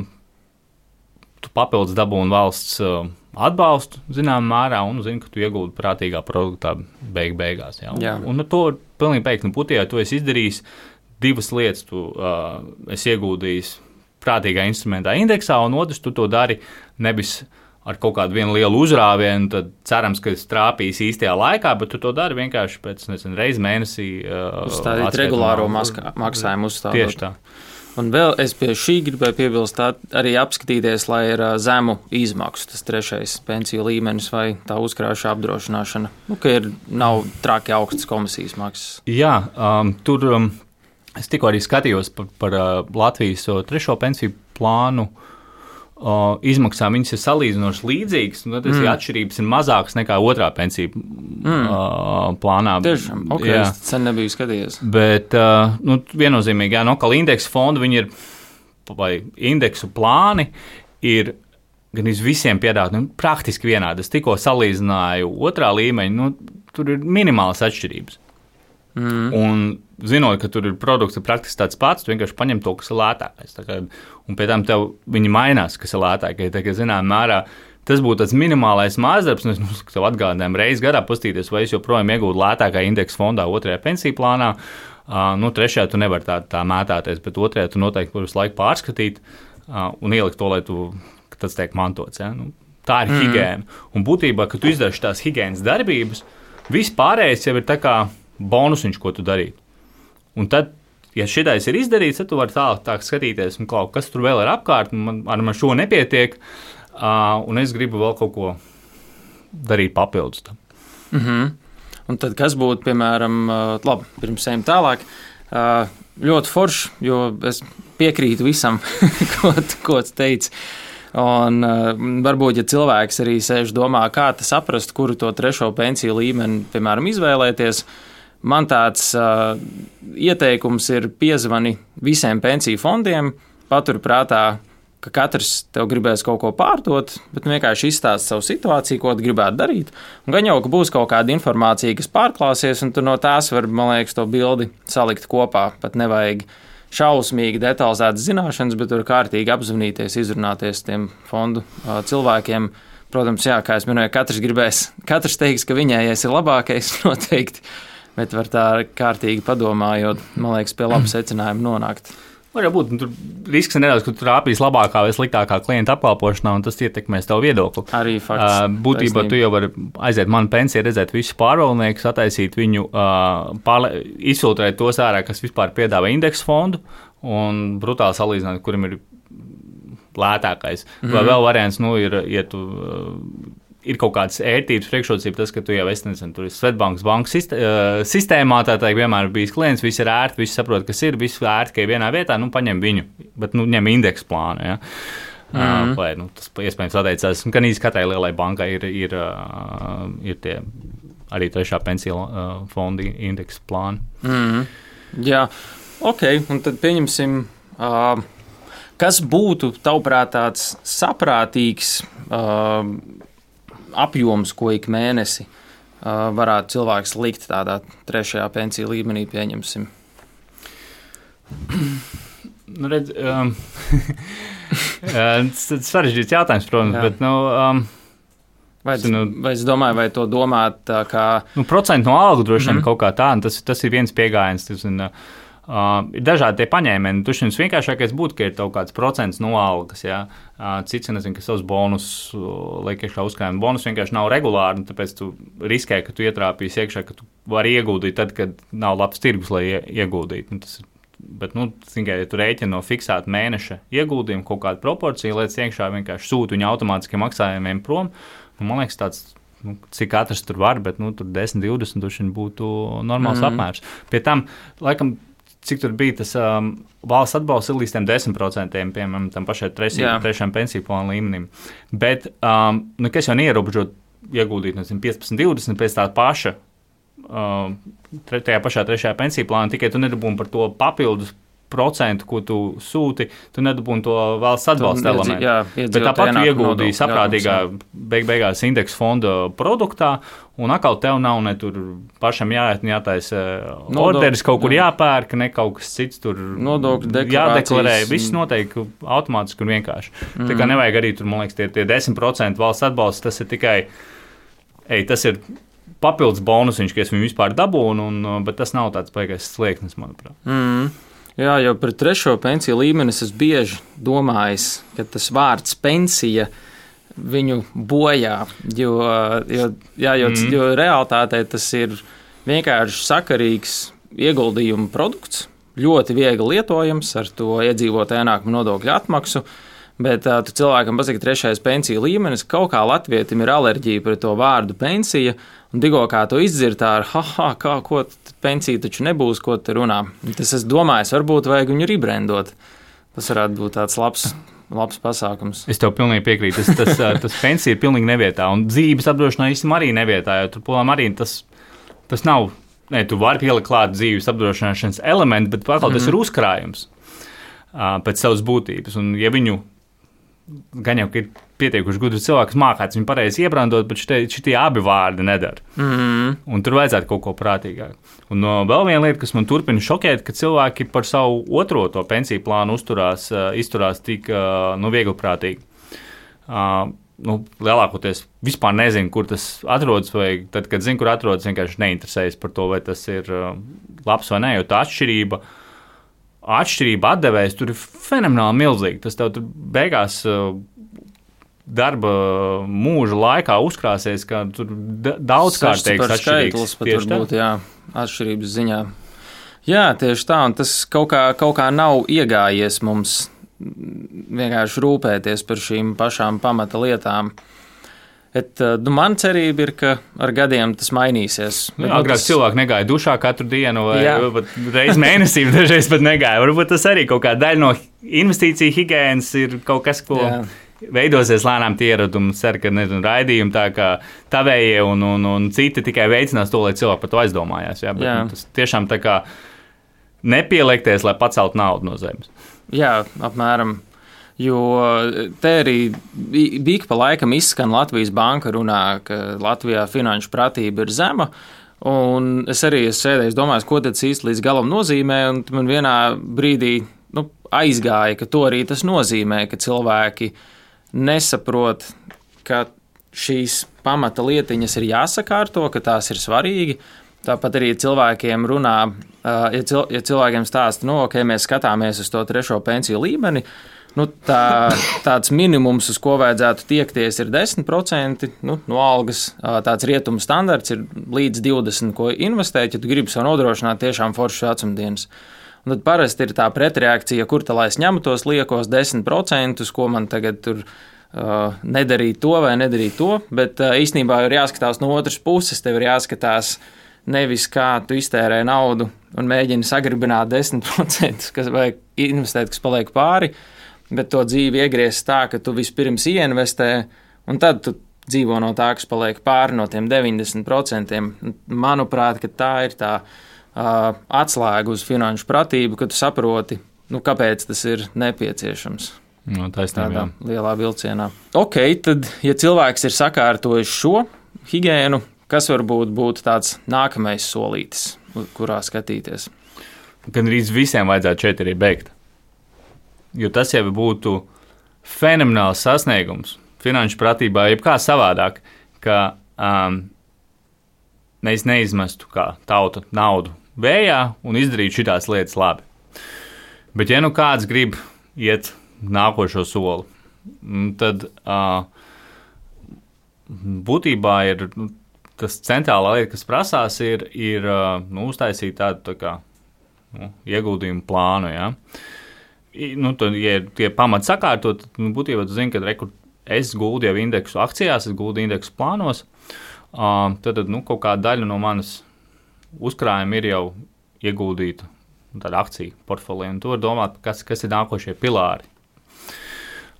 tu papildus dabūni valsts uh, atbalstu zināmā mērā un zini, ka tu iegūti prātīgā produktā beig beigās. Ja? Jā. Un, un to pilnīgi beigts, nu, putījā tu esi izdarījis divas lietas, tu uh, esi ieguldījis prātīgā instrumentā indeksā, un otrs tu to dari nevis ar kaut kādu vienu lielu uzrāvienu, tad cerams, ka es trāpīs īstajā laikā, bet tu to dari vienkārši pēc, nezinu, reizi mēnesī. Uh, Uzstādīt regulāro maskā, maksājumu uzstādot. Tieši tā. Un vēl es pie šī gribēju piebilst, tā arī apskatīties, lai ir zemu izmaksu tas trešais pensiju līmenis vai tā uzkrājuša apdrošināšana, nu, ka ir, nav traki augstas komisijas maksas. Jā, um, tur um, es tikko arī skatījos par, par uh, Latvijas uh, trešo pensiju plānu. Uh, izmaksām viņas ir salīdzinoši līdzīgas, un tad mm. atšķirības ir mazākas nekā otrā pensiju mm. uh, plānā. Tiešām, ok, jā. Es sen nebiju skatījies. Bet uh, nu, viennozīmīgi, jā, no kā indeksu fondu viņi ir, vai indeksu plāni ir gan iz visiem piedāvāt, nu, praktiski vienādi. Es tikko salīdzināju otrā līmeņa, nu, tur ir minimālas atšķirības. Mm. Un zinot, ka tur ir produkts praktiski tāds pats, tu vienkārši paņem to, kas ir lētākais. Kā, un pēc tam tev viņi mainās, kas ir lētākais. Tā kā zinām mērā, tas būtu tāds minimālais mājasdarbs, un es nu, tev atgādinājumu reizi gadā pastīties, vai es joprojām iegūtu lētākā indeksa fondā otrajā pensiju plānā. Uh, nu, trešajā tu nevari tā, tā mētāties, bet otrajā tu noteikti visu laiku pārskatīt uh, un ielikt to, lai tu, tas tiek mantots. Ja? Nu, tā ir mm. higiēna. Un būtībā, kad tu izdari tās higienas darbības, viss pārējais jau ir tā kā bonusiņš, ko tu darītu. Un tad, ja šitais ir izdarīts, tad tu vari tālāk tā skatīties, un kaut kas tur vēl ir apkārt, un man, ar man šo nepietiek, uh, un es gribu vēl kaut ko darīt papildus tam. Mm-hmm. Un tad kas būtu, piemēram, uh, labi, pirms ejam tālāk, uh, ļoti forši, jo es piekrītu visam, ko, ko tu teici. Un uh, varbūt, ja cilvēks arī sēž domā, kā tas saprast, kuru to trešo pensiju līmeni, piemēram, izvēlēties, man tāds uh, ieteikums ir piezvani visiem pensiju fondiem, patur prātā, ka katrs tev gribēs kaut ko pārdot, bet vienkārši izstāst savu situāciju, ko tu gribētu darīt. Un gan jau, ka būs kaut kāda informācija, kas pārklāsies, un tu no tās var, man liekas, to bildi salikt kopā. Pat nevajag šausmīgi detalizētas zināšanas, bet tur kārtīgi apzvanīties, izrunāties tiem fondu uh, cilvēkiem. Protams, jā, kā es minēju, katrs gribēs, katrs teiks, ka viņējais ir labākais noteikti, bet var tā kārtīgi padomājot, man liekas, pie laba secinājuma nonākt. Var jau būt, tur risks ir nedaudz, ka tu trāpīs labākā vai sliktākā klienta apkalpošanā, un tas ietekmēs tavu viedokli. Arī fakts. Uh, būtībā taisnība. Tu jau vari aiziet manu pensiju, redzēt visus pārvaldniekus, attaisīt viņu, uh, pārle, izfiltrēt tos ārā, kas vispār piedāvā indeksu fondu, un brutāli salīdzināt, kurim ir lētākais. Mm-hmm. Vai vēl variants, nu, ir, ja tu... Uh, ir kaut kādas ērtības priekšrocības, tas, ka tu jau esi, nezinu, tur ir Svetbankas bankas sistēmā, tā teikt, vienmēr bijis klients, viss ir ērti, viss saprot, kas ir, viss ērti, ka ir vienā vietā, nu, paņem viņu, bet, nu, ņem indeksu plānu, ja. Mm-hmm. Vai, nu, tas iespējams atteicās, gan īsti katrai lielai bankai ir, ir, ir tie arī trešā pensiju fonda indeksu plāni. Mm-hmm. Jā, ok, un tad pieņemsim, uh, kas būtu, tavuprāt, tāds saprātīgs uh, apjoms, ko ik mēnesi uh, varētu cilvēks likt tādā trešajā pensiju līmenī, pieņemsim? Nu, redz, um, tas ir sarežģīts jautājums, protams, jā. Bet, nu... Um, vai, es, nu, vai es domāju, vai to domāt tā kā... Nu, procentu no algu droši vien mm-hmm. kaut kā tā, un tas, tas ir viens piegājiens, tas ir... Uh, ir dažādi tie paņēmieni. Tur šis vienkāršākais būtu, ka ir kaut kāds procents no algas. Ja? Uh, cits, nezinu, ka savus bonus uh, liek iekšā uzkrājuma. Bonus vienkārši nav regulāri, un tāpēc tu riskē, ka tu ietrāpīsi iekšā, ka tu vari ieguldīt tad, kad nav labs tirgus, lai ieguldītu. Tas, bet, nu, tikai, ja tu rēķini no fiksēta mēneša ieguldījumu kaut kādu proporciju, liec iekšā vienkārši sūti viņu automātiskiem maksājumiem prom. Un, man liekas, tāds, nu, cik katrs tur var, bet nu, tur desmit, divdesmit būtu normāls mm-hmm. apmērs. Pie tam, laikam, cik tur bija tas um, valsts atbalsts ir līdz tiem desmit procentiem, piemēram, tam pašai trešajam pensiju plānu līmenim. Bet, um, nu, kas jau neierobežot ieguldīt, nezinu, piecpadsmit, divdesmit pēc tā paša, um, tajā pašā trešajā pensiju plānā, tikai tu nedabūni par to papildus procentu, ko tu sūti, tu nedabūni to valsts atbalsta elementu. Jā, bet tāpat tu ieguldīji saprātīgā beig beigās indeksu fonda produktā, un atkal tev nav ne tur pašam jāiet, jātaisa orderis, kaut kur jā. Jāpērk, ne kaut kas cits tur jādeklarē. Viss noteikti automātiski un vienkārši. Mm. Tā kā nevajag arī tur, man liekas, tie, tie desmit procenti valsts atbalsts, tas ir tikai, ej, tas ir papildus bonusiņš, ka es viņu vispār dabūnu, un, bet tas nav tāds baigais slieksnis, manuprāt. Mm. Jā, jau par trešo pensiju līmeni es bieži domājis, ka tas vārds pensija viņu bojā, jo, jo, jā, jo, mm. jo realitātē tas ir vienkārši sakarīgs ieguldījumu produkts, ļoti viegli lietojams ar to iedzīvotāju ienākumu nodokļu atmaksu, bet uh, tu cilvēkam pasaki trešais pensiju līmenis, kaut kā latvietim ir alerģija pret to vārdu pensija, un tikko kā to izdzird tā ar, haha, kā, ko pensija taču nebūs, ko te runā. Tas es domāju, varbūt vajag viņu rebrandot. Tas varētu būt tāds labs, labs pasākums. Es tev pilnīgi piekrītu. Tas, tas, tas pensija ir pilnīgi nevietā, un dzīves apdrošināšana īstenībā arī nevietā, jo tur, polām, arī tas, tas nav, ne, tu vari pielikt klāt dzīves apdrošināšanas elementu, bet atkal mm-hmm. tas ir uzkrājums uh, pēc savas būtības, un ja viņu gan jau, ka ir pietiekuši gudri cilvēki, kas mākāts viņu pareizi iebrandot, bet šitie, šitie abi vārdi nedara. Mm-hmm. Un tur vajadzētu kaut ko prātīgāk. Un no, vēl viena lieta, kas man turpina šokēt, ka cilvēki par savu otro to pensiju plānu uzturās, uh, izturās tik uh, nu, viegliprātīgi. Uh, nu, lielākoties vispār nezinu, kur tas atrodas, vai tad, kad zinu, kur atrodas, vienkārši neinteresējas par to, vai tas ir uh, labs vai nē, jo tā atšķirība Atšķirība atdevējs tur ir fenomenāli milzīga. Tas tev tur beigās darba mūža laikā uzkrāsies, ka tur daudzkārtīgs atšķirīgs. Pat varbūt, jā, atšķirības ziņā. Jā, tieši tā, un tas kaut kā, kaut kā nav iegājies mums vienkārši rūpēties par šīm pašām pamata lietām. Et, nu, man cerība ir, ka ar gadiem tas mainīsies. Jā, agrāk tas... cilvēki negāja dušā katru dienu vai reizi mēnesī, dažreiz pat negāja. Varbūt tas arī kaut kā daļa no investīciju higienas ir kaut kas, ko jā. veidosies lēnām tie ieradumi, ceru, ka nezinu, raidījumi tā kā tavējie un, un, un citi tikai veicinās to, lai cilvēki par to aizdomājās. Jā, bet jā. Nu, tas tiešām tā kā nepieliekties, lai paceltu naudu no zemes. Jā, apmēram. Jo te arī bīk pa laikam izskan Latvijas banka runā, ka Latvijā finanšu pratība ir zema. Un es arī esmu sēdējis, domājis, ko tas īsti līdz galam nozīmē. Un man vienā brīdī nu, aizgāja, ka to arī tas nozīmē, ka cilvēki nesaprot, ka šīs pamata lietiņas ir jāsakārto, ka tās ir svarīgi. Tāpat arī cilvēkiem runā, ja, cil, ja cilvēkiem stāsta, no, ka mēs skatāmies uz to trešo pensiju līmeni, nu, tā, tāds minimums, uz ko vajadzētu tiekties, ir desmit procenti nu, no algas. Tāds rietumu standarts ir līdz divdesmit, ko investēt, ja tu gribi sev nodrošināt tiešām foršas vecumdienas. Un tad parasti ir tā pretreakcija, kur tā lai es ņemu tos liekos desmit procentus, ko man tagad tur uh, nedarīt to vai nedarīt to, bet uh, īstenībā ir jāskatās no otras puses, tev ir jāskatās nevis kā tu iztērē naudu un mēģini sagribināt desmit procentus, kas vajag investēt, kas paliek pāri, bet to dzīvi iegriezt tā, ka tu vispirms ieinvestē, un tad tu dzīvo no tā, kas paliek pāri no tiem deviņdesmit procentiem. Manuprāt, ka tā ir tā uh, atslēga uz finanšu pratību, ka tu saproti, nu, kāpēc tas ir nepieciešams. No, taisnība, tādā lielā vilcienā. Ok, tad, ja cilvēks ir sakārtojis šo higiēnu, kas varbūt būtu tāds nākamais solītis, kurā skatīties? Gan arī visiem vajadzētu šeit arī beigt. Jo tas jau būtu fenomenāls sasniegums finanšu pratībā, jebkā savādāk, ka um, mēs neizmestu kā tauta naudu vējā un izdarītu šitās lietas labi. Bet ja nu kāds grib iet nākošo soli, tad uh, būtībā ir nu, tas centrālā lieta, kas prasās, ir, ir nu, uztaisīt tādu tā kā, nu, ieguldījumu plānu. Ja? Nu, tad, ja tie pamati sakārtot, tad nu, būtībā tu zini, ka rekur, es guldu jau indeksu akcijās, es guldu indeksu plānos, uh, tad nu, kaut kāda daļa no manas uzkrājuma ir jau ieguldīta tāda akcija portfolio, un tu vari domāt, kas, kas ir nākošie pilāri.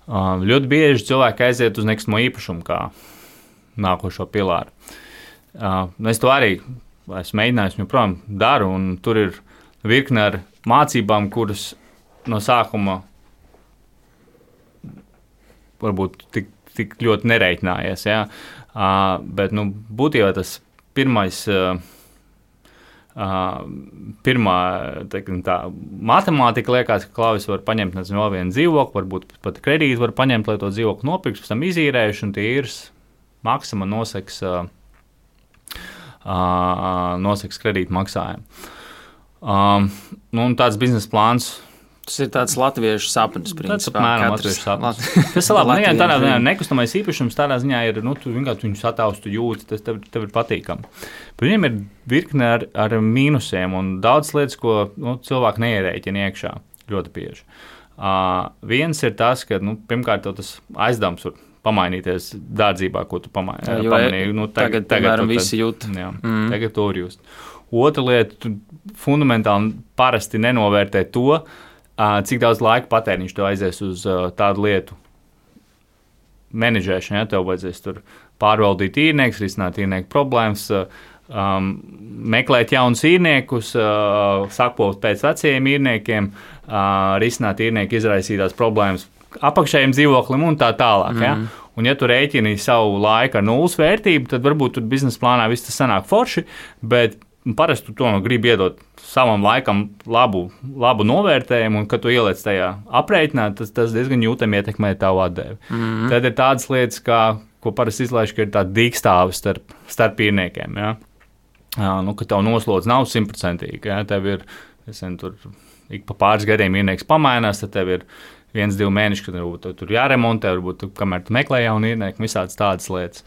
Uh, ļoti bieži cilvēki aiziet uz nekustamo īpašumu kā nākošo pilāru. Uh, es to arī esmu mēģinājis, joprojām daru, un tur ir virkne ar mācībām, kuras no sākuma varbūt tik, tik ļoti nereiķinājies. Ja? Uh, bet nu, būtībā tas pirmais, uh, uh, pirmā teikam, tā, matemātika liekas, ka Klauvis var paņemt nezinu, vēl vienu dzīvokli, varbūt pat kredītu var paņemt, lai to dzīvokli nopirks, pēc tam izīrējuši, un tie ir maksima noseks uh, Uh, noseks kredītu maksājumu. Um, nu, tāds biznesa plāns. Tas ir tāds latviešu sapnis, principā. Tas apmēram latviešu sapnis. Tas ir labi. Nu, tādā ziņā nekustamais īpašums tādā ziņā ir, nu, tu vienkārši viņu sataustu jūti, tas tev, tev ir patīkami. Bet viņiem ir virkne ar, ar mīnusiem un daudz lietas, ko nu, cilvēki neierēķina iekšā ļoti bieži. Uh, viens ir tas, ka, nu, pirmkārt, tas aizdevums var pamainīties dārdzībā, ko tu pamai, jā, pamanīji. Nu, tagad, tagad, piemēram, visi jūt. Jā, mm. tagad to var just. Otra lieta, tu fundamentāli parasti nenovērtē to, cik daudz laika patēriņš tev aizies uz tādu lietu menedžēšanu. Ja? Tev vajadzēs tur pārvaldīt īrniekus, risināt īrnieku problēmas, um, meklēt jaunus īrniekus, uh, sakot pēc vecajiem īrniekiem, uh, risināt īrnieku izraisītās problēmas apakšējiem dzīvoklim un tā tālāk. Mm. Ja? Un, ja tu rēķini savu laiku ar nulles vērtību, tad varbūt tur biznesa plānā viss tas sanāk forši, bet parasti tu to gribi iedot savam laikam labu, labu novērtējumu, un kad tu ieliec tajā aprēķinā, tas, tas diezgan jūtami ietekmē tavu atdevi. Mm. Tad ir tādas lietas, kā, ko parasti izlaiž, ka ir tāda dīkstāve starp, starp īrniekiem. Ja? Nu, ka tev noslodz nav simtprocentīgi. Ja? Tev ir, es zinu, tur ik pa pāris gadiem īrnieks pamainās, tad tev ir viens, divi mēneši, kad varbūt tur jāremontē, varbūt tu, kamēr tu meklē jaunu īrnieku, visādas tādas lietas.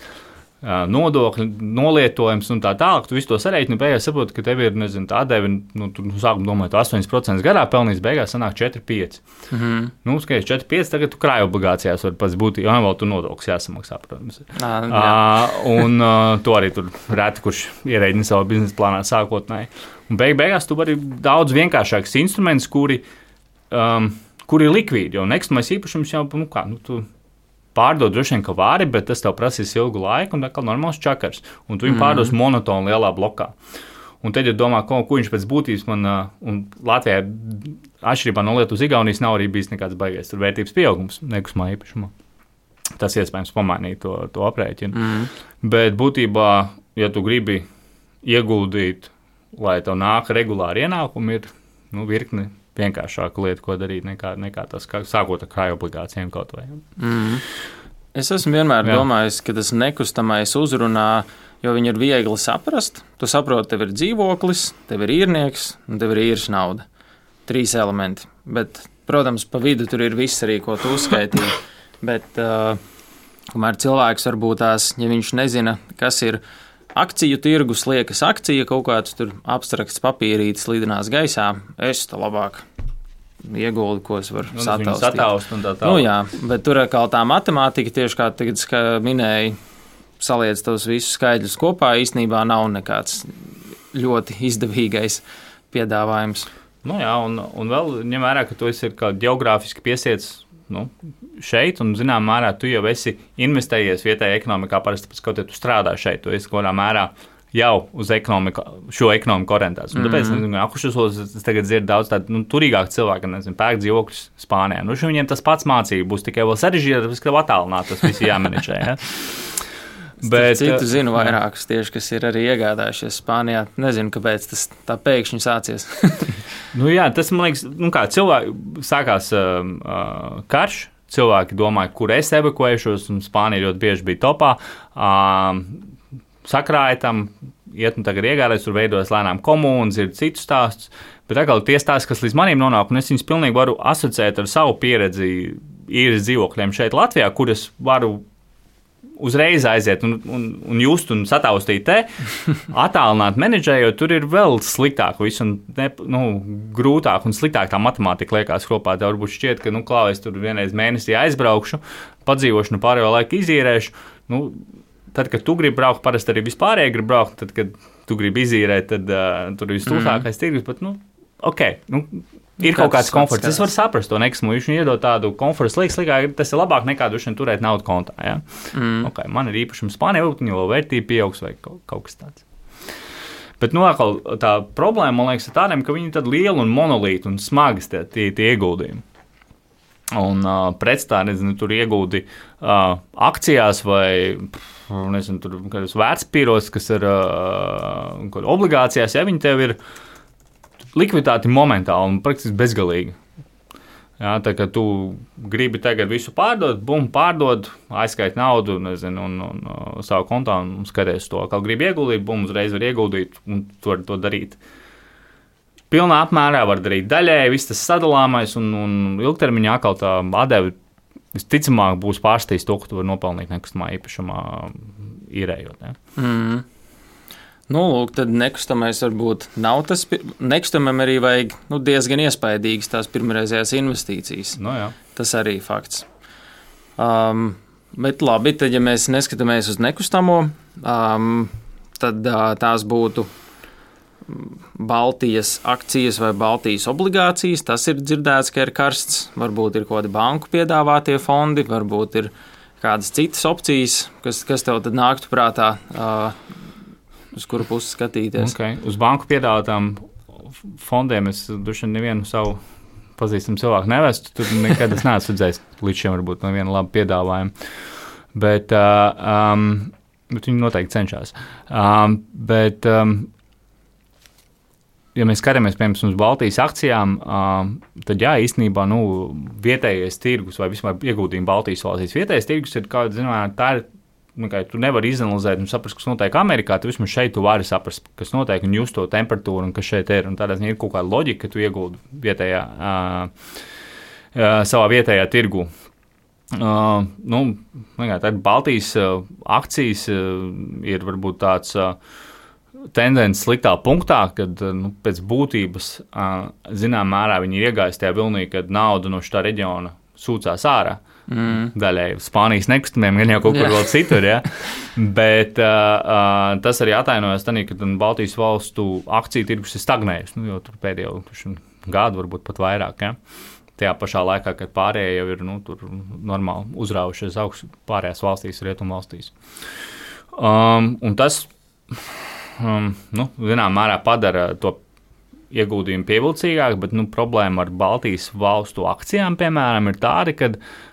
Nodokļi, nolietojums un tā tālāk, tu visu to sareiķini, beigās saproti, ka tev ir, nezinu, tā atdeve, nu, tu sākumā domāji, tu astoņi procenti gadā pelnīs, beigās sanāk četri pieci. Mm-hmm. Nu, skaties, četri pieci, tagad tu krāju obligācijās var pats būt, jo vēl tu nodokļus jāsamaksā, protams. À, uh, un uh, to arī tur reti, kurš ierēģina savu biznesa plānā sākotnēji. Un beig, beigās tu vari daudz vienkāršāks instruments, kuri, um, kuri ir likvīdi, jo nekustamais īpašums jau, nu kā, nu tu pārdot droši vien, ka vari, bet tas tev prasīs ilgu laiku un atkal normāls čakars. Un tu viņu mm. pārdos monotoni lielā blokā. Un tad, ja domā, ko, ko viņš pēc būtības man, un Latvijā atšķirībā no Lietuvas Igaunijas nav arī bijis nekāds baigais tur vērtības pieaugums nekustamā īpašumā. Tas iespējams pamainīt to, to aprēķinu. Mm. Bet būtībā, ja tu gribi ieguldīt, lai tev nāk regulāri ienākumi, ir nu, virkni vienkāršāka lieta, ko darīt, nekā, nekā tas, kā, sākot ar krāju obligācijiem kaut vai. Mm. Es esmu vienmēr Jā. domājis, ka tas nekustamais uzrunā, jo viņi ir viegli saprast. Tu saproti, tev ir dzīvoklis, tev ir īrnieks un tev ir īres nauda. Trīs elementi. Bet, protams, pa vidu tur ir viss arī, ko tu uzskaitīji. Bet, uh, kamēr cilvēks varbūt tās, ja viņš nezina, kas ir akciju tirgus, liekas akcija, kaut kāds tur abstrakts papīrītis lidinās gaisā, es to labāk ieguldu, ko es varu nu, sataustīt. Sataust un tā tā. Nu jā, bet tur kā tā matemātika, tieši kā tagad kā minēja, saliec tos visus skaidļus kopā, īstenībā nav nekāds ļoti izdevīgais piedāvājums. Nu jā, un, un vēl ņem vērā, ka tu esi kā geogrāfiski piesiets nu, šeit, un zinām mērā tu jau esi investējies vietējā ekonomikā, parasti pēc kaut ja tu strādā šeit, tu esi kaut kādā mērā jau uz ekonomiku, šo ekonomiku orientēts. Un tāpēc, mm-hmm. nezinu, akušos es tagad dzirdu daudz tādu nu, turīgāku cilvēku, nezinu, pērk dzīvokļus Spānijā. Nu, viņiem tas pats mācība būs tikai vēl sarežģītāk, tāpēc, ka attālināt tas viss jāmenedžē. Ja? Bet citu zinu vairākus tieši, kas ir arī iegādājušies Spānijā. Nezinu, kāpēc tas tā pēkšņi sācies. nu jā, tas, man liekas, nu kā cilvēki, sākās uh, uh, karš, cilvēki domāja, kur es evakuēšos, un Spānija ļoti bieži bija topā. Uh, sakrāja tam, iet un tagad iegādājas, tur veidojas lēnām komūnas, ir citus stāstus, bet atkal tie stāsti, kas līdz manim nonāk, un es viņus pilnīgi varu asociēt ar savu pieredzi īres dzīvokļiem šeit Latvijā, kur es varu uzreiz aiziet un, un, un just un sataustīt te, attālināt menedžējot, tur ir vēl sliktāk viss un ne, nu, grūtāk un sliktāk tā matemātika liekas kopā. Tev varbūt šķiet, ka, nu, klau, es tur vienreiz mēnesī aizbraukšu, padzīvošu, nu, pārējo laiku izīrēšu. Nu, tad, kad tu gribi braukt, parasti arī vispārēji gribi braukt, tad, kad tu gribi izīrēt, tad uh, tur ir stūsākais mm. tirgus, bet, nu, ok, nu, ir kaut kāds komforts. Es varu saprast to nekusmu, viņš viņu iedod tādu komfortu slīgs, slikāk, tas ir labāk nekā dušana turēt naudu kontā, ja? Mm. Ok, man ir īpašums Spānijā, viņa vēl vērtība pieaugs vai kaut, kaut kas tāds. Bet, nu, atkal, tā problēma, man liekas, ir tādiem, ka viņi ir tādi lieli un monolīti un smagas tie, tie, tie ieguldījumi. Un uh, pretstā, nezinu, tur ieguldi uh, akcijās vai, nezinu, tur kādos vērtspapīros, kas ir uh, obligācijās, ja viņi tev ir likviditāti momentāli un praktiski bezgalīgi. Jā, tā kā tu gribi tagad visu pārdot, bum, pārdod, aizskait naudu, nezinu, un, un, un savu kontā un skaties to. Kā gribi ieguldīt, bum, uzreiz var ieguldīt un tu vari to darīt. Pilnā apmērā var darīt daļēji, viss tas sadalāmais un, un ilgtermiņā atkal tā atdeve visticamāk būs pārstījis to, ka tu vari nopelnīt nekustamā īpašumā īrējot. Ja? Mm. Nu, lūk, tad nekustamais varbūt nav tas, nekustamam arī vajag nu, diezgan iespaidīgas tās pirmreizējās investīcijas. No, jā. Tas arī fakts. Um, bet labi, tad ja mēs neskatāmies uz nekustamo, um, tad uh, tās būtu Baltijas akcijas vai Baltijas obligācijas. Tas ir dzirdēts, ka ir karsts. Varbūt ir kaut kādi banku piedāvātie fondi, varbūt ir kādas citas opcijas, kas, kas tev tad nāktu prātā, uh, uz kuru pusi skatīties. Okay. Uz banku piedāvātām fondiem es duši nevienu savu pazīstamu cilvēku nevestu. Tur nekad es neesmu redzējis līdz šim varbūt no viena laba piedāvājuma. Bet, uh, um, bet viņi noteikti cenšas. Um, bet, um, ja mēs skatāmies, piemēram, uz Baltijas akcijām, um, tad jā, īstenībā nu, vietējais tirgus vai vispār ieguldījumi Baltijas valstīs. Vietējais tirgus ir, kā zinām, tā ir. Tu nevari izanalizēt un saprast, kas notiek Amerikā. Tu vismaz šeit tu vari saprast, kas notiek un just to temperatūru un kas šeit ir. Un tādā ziņā ir kaut kāda loģika, ka tu ieguldi vietējā, uh, uh, savā vietējā tirgu. Uh, nu, tad Baltijas uh, akcijas uh, ir varbūt tāds uh, tendence sliktā punktā, kad uh, nu, pēc būtības uh, zinām mērā viņi ir iegājis tajā vilnī, kad nauda no šitā reģiona sūcās ārā. Mm. Daļai Spānijas nekustamiem, gan jau kaut kur yeah. vēl citur, ja? Bet uh, tas arī atainojas tādā, ka Baltijas valstu akciju tirgus ir stagnējis, nu, jo tur pēdējo gadu, varbūt pat vairāk, ja? tajā pašā laikā, kad pārējie jau ir nu, normāli uzraujušies augstu pārējās valstīs, rietumu valstīs. Um, un tas, um, nu, zinām, mērā padara to ieguldījumu pievilcīgāk, bet nu, problēma ar Baltijas valstu akcijām, piemēram, ir tāda, ka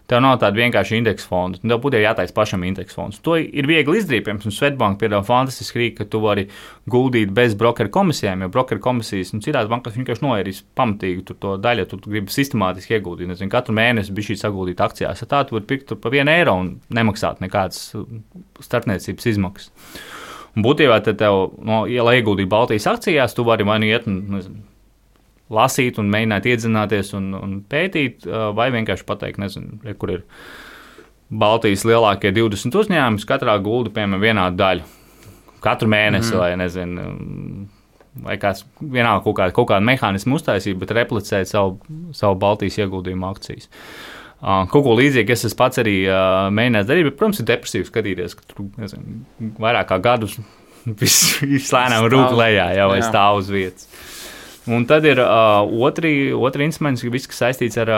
tev nav tāda vienkārši indeksa fonda. Tev būtu jātaisa pašam indeksa fonds. To ir viegli izdarīt, piemēram, Swedbank piedāvā fantastiski rīku, ka tu vari guldīt bez brokeru komisijām, jo brokeru komisijas un citās bankās vienkārši noērīs pamatīgi tur to daļu, tu gribi sistemātiski ieguldīt. Nezinu, katru mēnesi bija šī saguldīt akcijās. Ja tā tu vari pirkt pa vienu eiro un nemaksāt nekādas starpniecības izmaksas. Un būtībā tad tev, no, ja lai ieguldītu Baltijas akcijās, tu vari vai nu iet un nezinu, lasīt un mēģināt iedzināties un, un pētīt, vai vienkārši pateikt, nezinu, kur ir Baltijas lielākie divdesmit uzņēmumi, katrā gulda, piemēram, vienādu daļu. Katru mēnesi, mm. vai nezinu, vai kāds vienalga kaut kādu, kaut kādu mehānismu uztaisīt, bet replicēt savu, savu Baltijas ieguldījumu akcijas. Uh, kaut ko līdzīgu es pats arī uh, mēģināju darīt, bet, protams, ir depresīvi skatīties, ka tur nezinu, vairāk kā gadus viss vis lēnām rūk lejā, jau vai stāv uz vietas. Un tad ir uh, otri, otri instrumenti, viss, kas saistīts ar,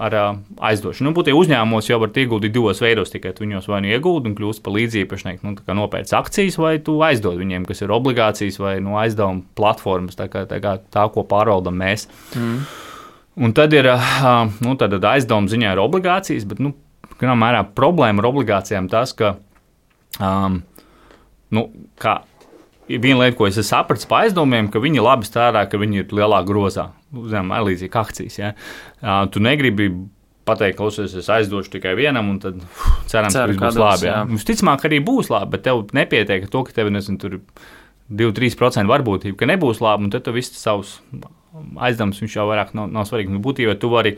ar uh, aizdošanu. Nu, būtībā uzņēmumos jau var ieguldīt divos veidos, tikai tu viņos vai nu ieguldi un kļūst par līdziepašnieku, nu, tā kā nopērc akcijas, vai tu aizdod viņiem, kas ir obligācijas vai nu, aizdevuma platformas, tā, kā, tā, kā, tā, ko pārvaldam mēs. Mm. Un tad ir nu, aizdevuma ziņā ir obligācijas, bet nu, mērā, problēma ar obligācijām tas, ka um, nu, kā, viena lieta, ko es sapratu par aizdevumiem, ka viņi labi strādā, ka viņi ir lielā grozā. Zinām, līdzīgi kā akcijas. Ja? Uh, tu negribi pateikt, klausies, es aizdošu tikai vienam, un tad uf, cerams, Ceru, ka viss būs labi. Ja? Visticamāk, arī būs labi, bet tev nepietiek to, ka tev nezinu, tur divi līdz trīs procenti varbūtība, ka nebūs labi, un tad tu viss savus aizdevums viņš jau vairāk nav, nav svarīgi. Būtībā tu vari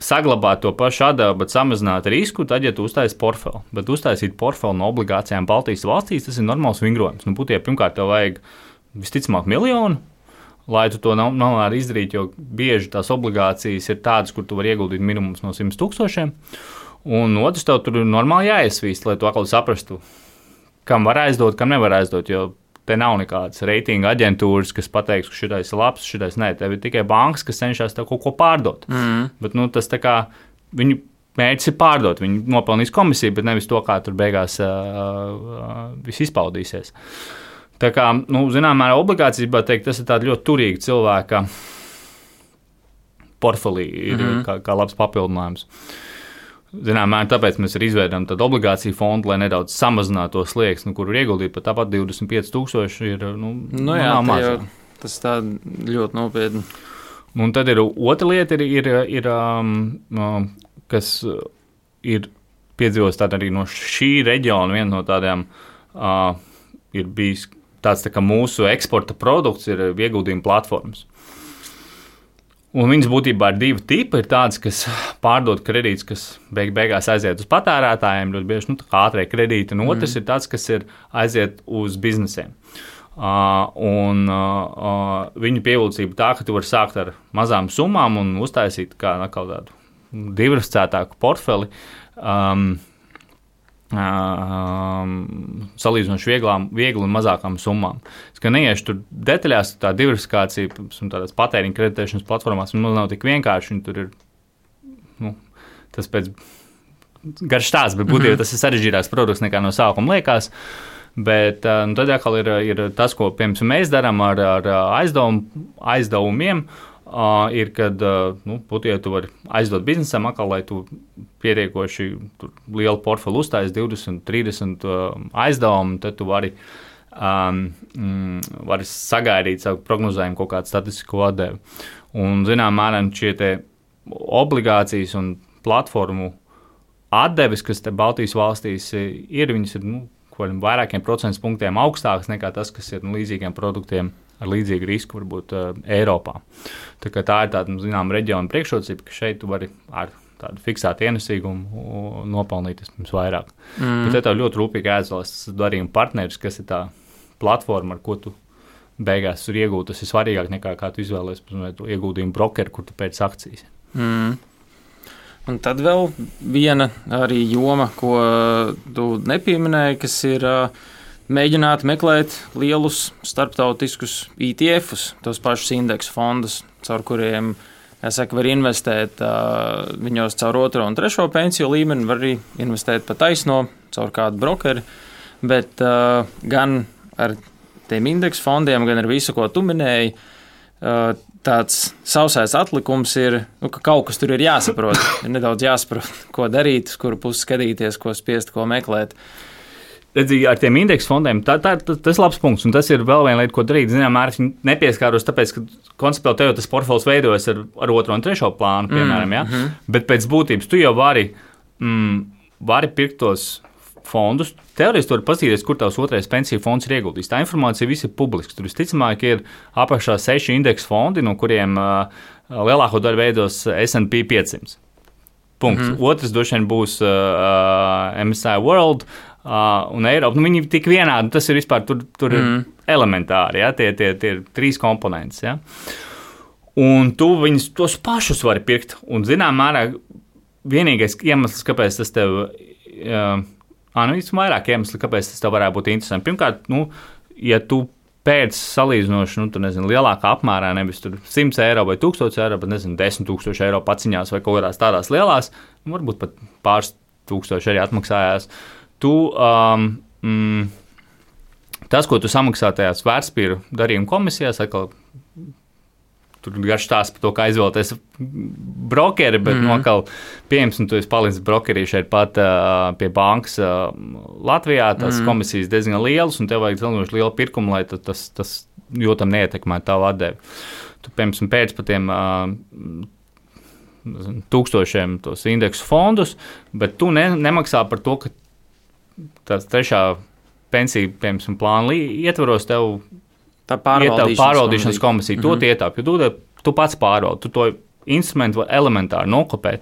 saglabāt to pašu atdevu, bet samazināt risku, tad, ja tu uztaisi portfeli. Bet uztaisīt portfeli no obligācijām Baltijas valstīs, tas ir normāls vingrojums. Nu, būtībā, pirmkārt, tev vajag visticamāk miljonu, lai tu to nav, nav arī izdarīt, jo bieži tās obligācijas ir tādas, kur tu vari ieguldīt minimums no simt tūkstošiem. Un otrs, tev tur normāli jāiesvīst, lai tu atkal saprastu, kam var aizdot, kam nevar aizdot, jo te nav nekādas reitinga aģentūras, kas pateiks, ka šitais ir labs, šitais nē. Tev ir tikai bankas, kas cenšas tev kaut ko pārdot. Mm. Bet nu, tas tā kā viņu mērķis ir pārdot. Viņi nopelnīs komisiju, bet nevis to, kā tur beigās uh, uh, viss izpaudīsies. Tā kā, nu, zinām, mērā obligācijas, bet teikt, tas ir tāda ļoti turīga cilvēka portfelī, ir mm. kā, kā labs papildinājums. Zinām, tāpēc mēs arī izveidojam tādu obligāciju fondu, lai nedaudz samazinātu to slieksni, nu, kur ir ieguldīt pat tāpat divdesmit pieci tūkstoši. Ir, nu, nu jā, jau, tas tā ļoti nopietni. Un tad ir otra lieta, ir, ir, ir, um, kas ir piedzīvos tāda arī no šī reģiona, viena no tādām uh, ir bijis tāds tā kā mūsu eksporta produkts, ir ieguldījuma platformas. Un viņas būtībā ir divi tipi. Ir tādas, kas pārdod kredītus, kas beig beigās aiziet uz patērētājiem, ļoti bieži nu, ātrie kredīti, un otrs mm. ir tāds, kas ir aiziet uz biznesiem. Uh, un uh, viņu pievilcība tā, ka tu vari sākt ar mazām summām un uztaisīt kā tādu diversificētāku portfeli. Um, Um, salīdzinoši vieglām, viegli un mazākām summām. Es kā neiešu tur detaļās, tā diversifikācija un tādas patēriņa kreditēšanas platformās mums nav tik vienkārši, un tur ir, nu, tas pēc garš stāsts, bet būtībā mm-hmm. tas ir sarežģītāks produkts nekā no sākuma liekas, bet nu, tad atkal ir, ir tas, ko, piemēram, mēs darām ar, ar aizdevum, aizdevumiem, Uh, ir, kad uh, nu, būtībā tu vari aizdot biznesam, atkal, lai tu pietiekoši lielu portfeli uzstājas divdesmit, trīsdesmit uh, aizdevumu, tad tu vari, um, mm, vari sagaidīt savu prognozējumu kaut kādu statistisko atdevi. Un, zinām, mēram šie te obligācijas un platformu atdevis, kas te Baltijas valstīs ir, viņas ir nu, vairākiem procentu punktiem augstākas nekā tas, kas ir nu, līdzīgiem produktiem ar līdzīgu risku varbūt uh, Eiropā. Tā, tā ir tāda, zinām, reģiona priekšrocība, ka šeit tu vari ar tādu fiksētu ienesīgumu nopelnīt mums vairāk. Mm. Bet te tev ļoti rūpīgi jāizvēlas darījuma partneris, kas ir tā platforma, ar ko tu beigās tur iegūt. Tas ir svarīgāk nekā kā tu izvēlies ieguldījumu brokeru, kur tu pēc akcijas. Mm. Un tad vēl viena arī joma, ko tu nepieminēji, kas ir uh, mēģināt meklēt lielus starptautiskus E T Fus, tos pašus indeksu fondus, caur kuriem Es saku, var investēt uh, viņos caur otro un trešo pensiju līmeni, var arī investēt pa taisno caur kādu brokeri, bet uh, gan ar tiem indeksu fondiem, gan ar visu, ko tu minēji, uh, tāds sausais atlikums ir, nu, ka kaut kas tur ir jāsaprot, ir nedaudz jāsaprot, ko darīt, uz kuru pusi skatīties, ko spiest, ko meklēt. Redzīgi, ar tiem indeksu fondiem, tā, tā, tas ir labs punkts, un tas ir vēl viena lieta, ko darīt. Zinām, mērķi nepieskāros, tāpēc, ka konceptuāli tev tas portfels veidojas ar, ar otro un trešo plānu, piemēram, mm, ja? mm-hmm. Bet pēc būtības tu jau vari, mm, vari pirkt tos fondus. Teorētiski tur var paskatīties, kur tavs otrais pensiju fonds ir ieguldījis. Tā informācija viss ir publiska. Tur visticamāk ir apakšā seši indeksu fondi, no kuriem uh, lielāko daļu veidos S and P piecsimt. Punkts. Mm-hmm. Otrs droši vien būs uh, M S C I World uh, un Eiropa. Nu, viņi ir tik vienādi, tas ir vispār tur, tur mm-hmm. ir elementāri, ja? tie, tie, tie ir trīs komponentes. Ja? Un tu viņus tos pašus vari pirkt. Un zinām mērā vienīgais iemesls, kāpēc tas tev... Uh, Ah, nu, ir vairāk iemesli, kāpēc tas tev varētu būt interesanti. Pirmkārt, nu, ja tu pēc salīdzinoši, nu, tu nezini, lielākā apmērā, nevis tur simts eiro vai tūkstoši eiro, bet, nezinu, desmit tūkstoši eiro paciņās vai kaut kādās tādās lielās, nu, varbūt pat pāris tūkstoši arī atmaksājās. Tu, um, mm, tas, ko tu samaksā tajās vērtspapīru darījuma komisijās, atkal tur garš stāsts par to, kā izvēlēties brokeri, bet mm-hmm. nokal pieejams, un tu esi palicis brokerī šeit pat uh, pie bankas uh, Latvijā, tās mm-hmm. komisijas diezgan lielas, un tev vajag salīdzinoši lielu pirkumu, lai tas, tas jūtam neietekmē tavu atdevi. Tu, piemēram, pēc pa tiem uh, tūkstošiem tos indeksu fondus, bet tu ne, nemaksā par to, ka tās trešā pensija, piemēram, plāna ietvaros tev tā pārvaldīšanas, pārvaldīšanas komisija, to mm-hmm. ietāk, jo tu, tu pats pārvaldi, tu to instrumentu var elementāri nokopēt.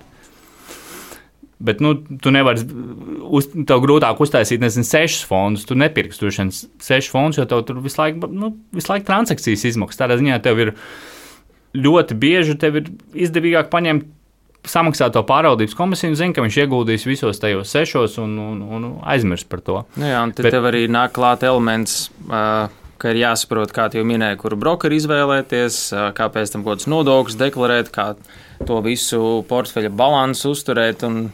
Bet, nu, tu nevari, uz, tev grūtāk uztaisīt, nezinu, sešus fondus, tu nepirksi tur šeit sešus fondus, jo tev tur visu laiku, nu, visu laiku transakcijas izmaksas. Tādā ziņā tev ir ļoti bieži, tev ir izdevīgāk paņemt, samaksāt to pārvaldības komisiju un zina, ka viņš ieguldīs visos tajos sešos un, un, un aizmirst par to. Nu jā, un tad Bet, tev arī nāk klāt elements, uh, ka ir jāsaprot, kā jau minēja, kuru brokeri izvēlēties, kāpēc tam kaut kāds nodokļus deklarēt, kā to visu portfeļa balansu uzturēt un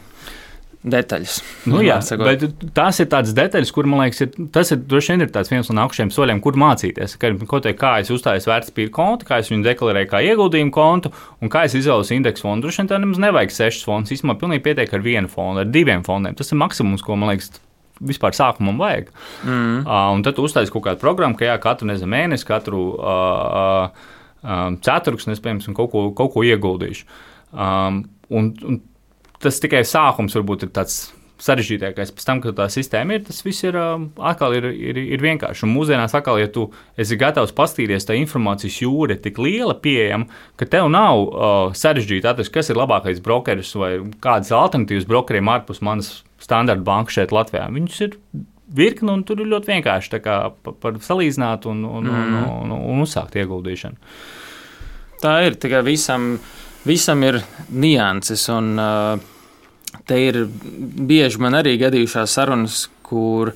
detaļas. Nu jā, bet tās ir tādas detaļas, kur, man liekas, ir, tas ir droši vien ir tāds viens no nākušajiem soļiem, kur mācīties. Ka, ko te, kā es uzstāju vērtspapīru kontu, kā es viņu deklarēju kā ieguldījumu kontu un kā es izvēlos indeksu fondu. Droši vien tā nemaz nevajag sešas fondus, īstenībā pilnīgi pietiek ar vienu fondu, ar diviem fondiem. Tas ir maksimums, ko, man liekas, vispār sākumam vajag. Mm. Uh, un tad tu uztaisi kaut kādu programmu, ka jā, katru nezinu, mēnesi, katru uh, uh, ceturksni, es, piemēram, kaut ko, kaut ko ieguldīšu. Um, un, un tas tikai sākums varbūt ir tāds sarežģītākais. Pēc tam, kad tā sistēma ir, tas viss ir uh, atkal ir, ir, ir vienkārši. Un mūsdienās atkal, ja tu esi gatavs pastīties, tā informācijas jūra ir tik liela pieejama, ka tev nav uh, sarežģīti atrast, kas ir labākais brokeris vai kādas alternatīvas brokeriem ārpus manas standarta banka šeit Latvijā. Viņus ir virkni un tur ir ļoti vienkārši tā kā par, par salīdzināt un, un, mm. un, un, un uzsākt ieguldīšanu. Tā ir, tikai visam, visam ir nianses un uh, te ir bieži man arī gadījušās sarunas, kur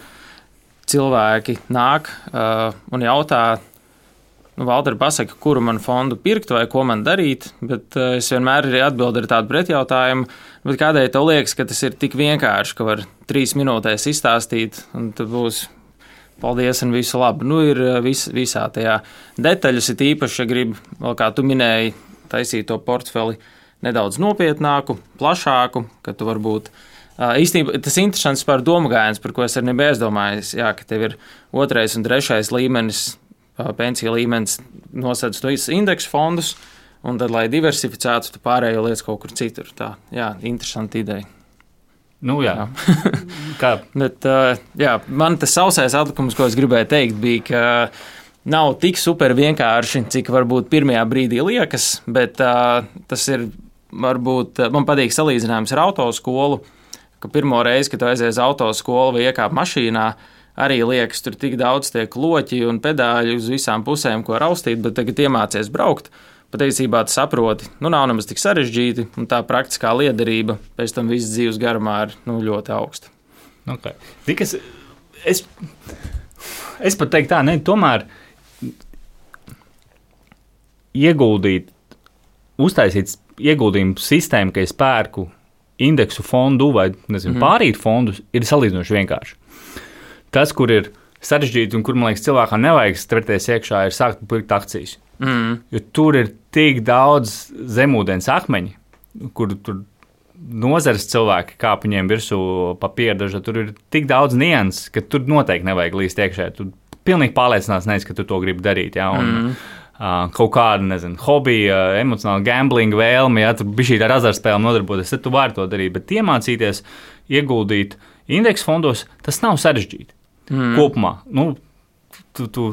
cilvēki nāk uh, un jautā, nu, Valteri, pasaka, kuru man fondu pirkt vai ko man darīt, bet uh, es vienmēr arī atbildu ar tādu pretjautājumu, bet kādēļ tev liekas, ka tas ir tik vienkārši, ka var trīs minūtēs izstāstīt, un tad būs paldies un visu labu. Nu, ir vis, visā tajā detaļas, ir īpaši, ja grib, vēl kā tu minēji, taisīt to portfeli nedaudz nopietnāku, plašāku, ka tu varbūt uh, īstenībā tas interesants par domu gājiens, par ko es arī nebiju aizdomājis, jā, ka tev ir otrais un trešais līmenis, uh, pensija līmenis nosedz to indeksu fondus, un tad, lai diversificētu, tu pārējo lietas kaut kur citur. Tā, jā, interesanti ideja. Nu, jā. jā. Kā? Bet, uh, jā, man tas sausais atlikums, ko es gribēju teikt, bija, ka nav tik super vienkārši, cik varbūt pirmajā brīdī liekas, bet uh, tas ir, varbūt, man patīk salīdzinājums ar autoskolu, ka pirmo reizi, kad tu aizies uz autoskolu vai iekāp mašīnā, arī liekas, tur tik daudz tiek loķi un pedāļi uz visām pusēm, ko raustīt, bet tagad iemācies braukt. Patiesībā tu saproti, nu nav nemaz tik sarežģīti, un tā praktiskā liederība pēc tam visas dzīves garumā ir nu, ļoti augsta. Okay. Tikas, es, es pat teiktu tā, ne, tomēr ieguldīt uztaisīt ieguldījumu sistēmu, ka es pērku indeksu fondu vai nezinu, mm. pārīt fondus, ir salīdzinoši vienkārši. Tas, kur ir sarežģīti un kur, man liekas, cilvēkam nevajag strepties iekšā, ir sākt pirkt akcijas. Mm. Jo tur ir tik daudz zemūdens akmeņi, kur tur nozares cilvēki kāp viņiem virsū pa pierdaža, tur ir tik daudz nianses, ka tur noteikti nevajag līst iekšā. Tu pilnīgi pārliecināts neesi, ka tu to gribi darīt. Ja? Un, mm. Uh, kaut kāda, nezinu, hobija, uh, emocionāla gamblinga vēlme, ja tur bija šī ar azartspēlēm nodarboties, tad tu vari to darīt, bet iemācīties ieguldīt indeksu fondos, tas nav sarežģīti. Mm. Kopumā, nu, tu, tu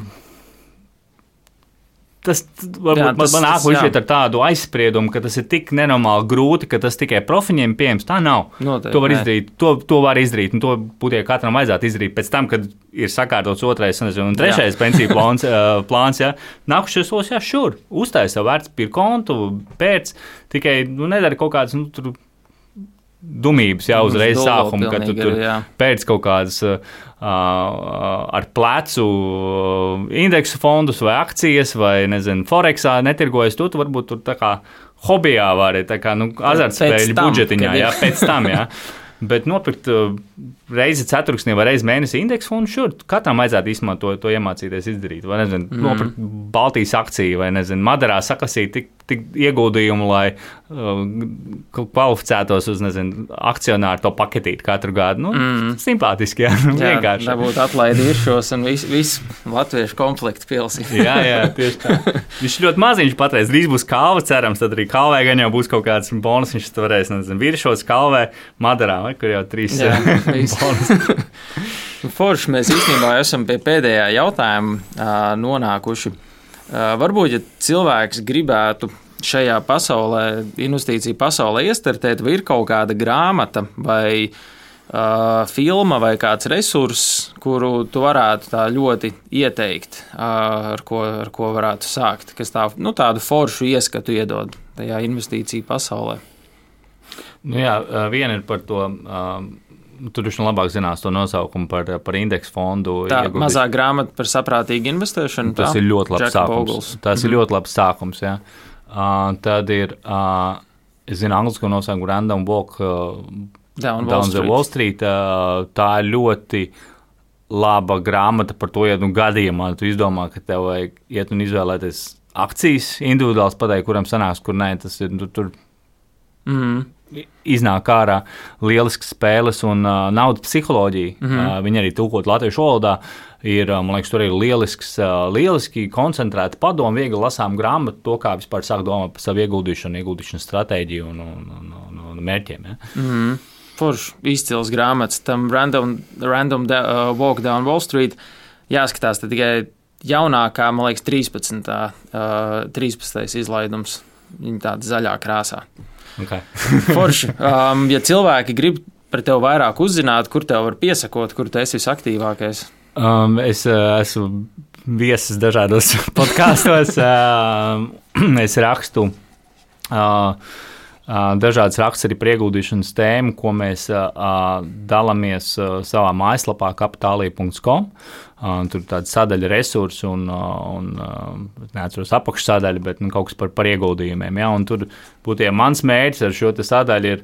tas varbūt jā, tas, man nāk līdz ar tādu aizspriedumu, ka tas ir tik nenormāli grūti, ka tas tikai profiņiem pieejams. Tā nav. Noteikti, to var izdarīt, to, to var izdarīt, un to būtu katram vajadzētu izdarīt pēc tam, kad ir sakārtots otrais nezinu, un trešais pensiju plāns, uh, plāns, jā. Nākušies tos, jā, šur, uztāj savu vērtspapīru kontu, pēc, tikai, nu, nedara kaut kādas, nu, tur dumības, jā, uzreiz sākumu, kad tu tur ir, pēc kaut kādas uh, ar plecu indeksu fondus vai akcijas vai, nezinu, Forexā netirgojas, tu, tu varbūt tur tā kā hobijā vari, tā kā, nu, azartspēļu budžetiņā, jā, pēc tam, jā. Bet nopirkt uh, reizi ceturksnī vai reizi mēnesi indeksu fondu, šur, katram vajadzētu īstenībā to, to iemācīties izdarīt. Vai, nezinu, mm. nopirkt Baltijas akciju vai, nezinu, Madarā sakasīt tik, tik ieguldījumu, lai uh, kvalificētos uz, nezinu, akcionāru to paketīti katru gadu. Nu, mm. simpātiski, jā, jā vienkārši. Jā, dabūt atlaidi viršos un visu vis latviešu konfliktu pilsīt. jā, jā, tieši tā. Viņš ļoti maziņš patreiz, drīz būs kalva, cerams, tad arī kalvē gan jau būs kaut kāds bonus, viņš varēs, nezinu, viršos kalvē, Madarā, vai, kur jau trīs bonus. Forši, mēs īstenībā esam pie pēdējā jautājuma uh, nonākuši. Uh, varbūt, ja cilvēks gribētu šajā pasaulē, investīciju pasaulē iestartēt, vai ir kaut kāda grāmata vai uh, filma vai kāds resurss, kuru tu varētu tā ļoti ieteikt, uh, ar, ko, ar ko varētu sākt, kas tā, nu, tādu foršu ieskatu iedod tajā investīciju pasaulē? Nu jā, viena ir par to... Um, Tur viņš labāk zinās to nosaukumu par, par indeksu fondu. Tā ieguldīt. Mazā grāmata par saprātīgu investēšanu. Tas tā? ir ļoti labs Jack sākums. Pogles. Tas mm-hmm. ir ļoti labs sākums, jā. Uh, tad ir, uh, es zinu, anglisko nosaukumu Random Walk uh, Down, Down Wall the Wall Street. Uh, tā ir ļoti laba grāmata par to, ja nu gadījumā tu izdomā, ka tev vajag iet un izvēlēties akcijas individuāls pateikt, kuram sanāks, kur nē, tas ir, tu, tur... Mm-hmm. Iznāk ārā lielisks spēles un uh, naudas psiholoģija. Mm-hmm. Uh, viņi arī tulkot latviešu valodā. Ir, man liekas, tur ir lielisks, uh, lieliski koncentrēta padoma, viegli lasām grāmatu, to, kā vispār sāk domāt par savu ieguldīšanu, ieguldīšanas stratēģiju un, un, un, un, un mērķiem. Ja? Mm-hmm. Forši izcils grāmatas. Tam Random, random da, uh, Walk Down Wall Street jāskatās tikai jaunākā, man liekas, trīspadsmitais Uh, trīspadsmitais izlaidums. Viņa tāda zaļā krāsā. Okay. Forši. Um, ja cilvēki grib par tevi vairāk uzzināt, kur tev var piesakot, kur tu esi visaktīvākais? Um, es uh, esmu viesis dažādos podkāstos. Uh, es rakstu uh, uh, dažādas rakstus arī par ieguldīšanas tēmu, ko mēs uh, dalāmies uh, savā mājaslapā kapitālija punkts com. Uh, tur ir tāda sadaļa resursi un, uh, un uh, neatceros apakšsadaļa, bet nu, kaut kas par, par ieguldījumiem. Ja? Un tur būtu ja mans mērķis ar šo sadaļu ir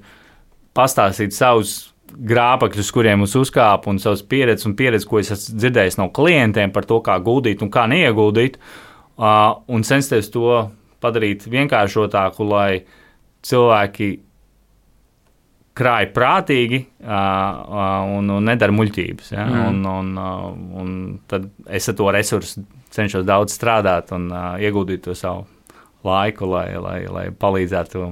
pastāstīt savus grābekļus, kuriem es uzkāpu un savas pieredzes un pieredzi, ko es esmu dzirdējis no klientiem par to, kā guldīt un kā neieguldīt, uh, un censties to padarīt vienkāršotāku, lai cilvēki krāj prātīgi uh, uh, un, un nedara muļķības. Ja? Mm. Un, un, uh, un tad es ar to resursu cenšos daudz strādāt un uh, ieguldīt to savu laiku, lai, lai, lai palīdzētu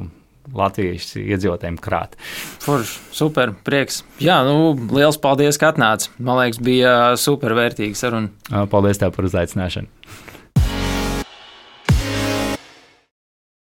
latviešu iedzīvotājiem krāt. Forši, super, prieks. Jā, nu, liels paldies, ka atnāci. Man liekas, bija super vērtīga saruna. Paldies tev par uzaicināšanu.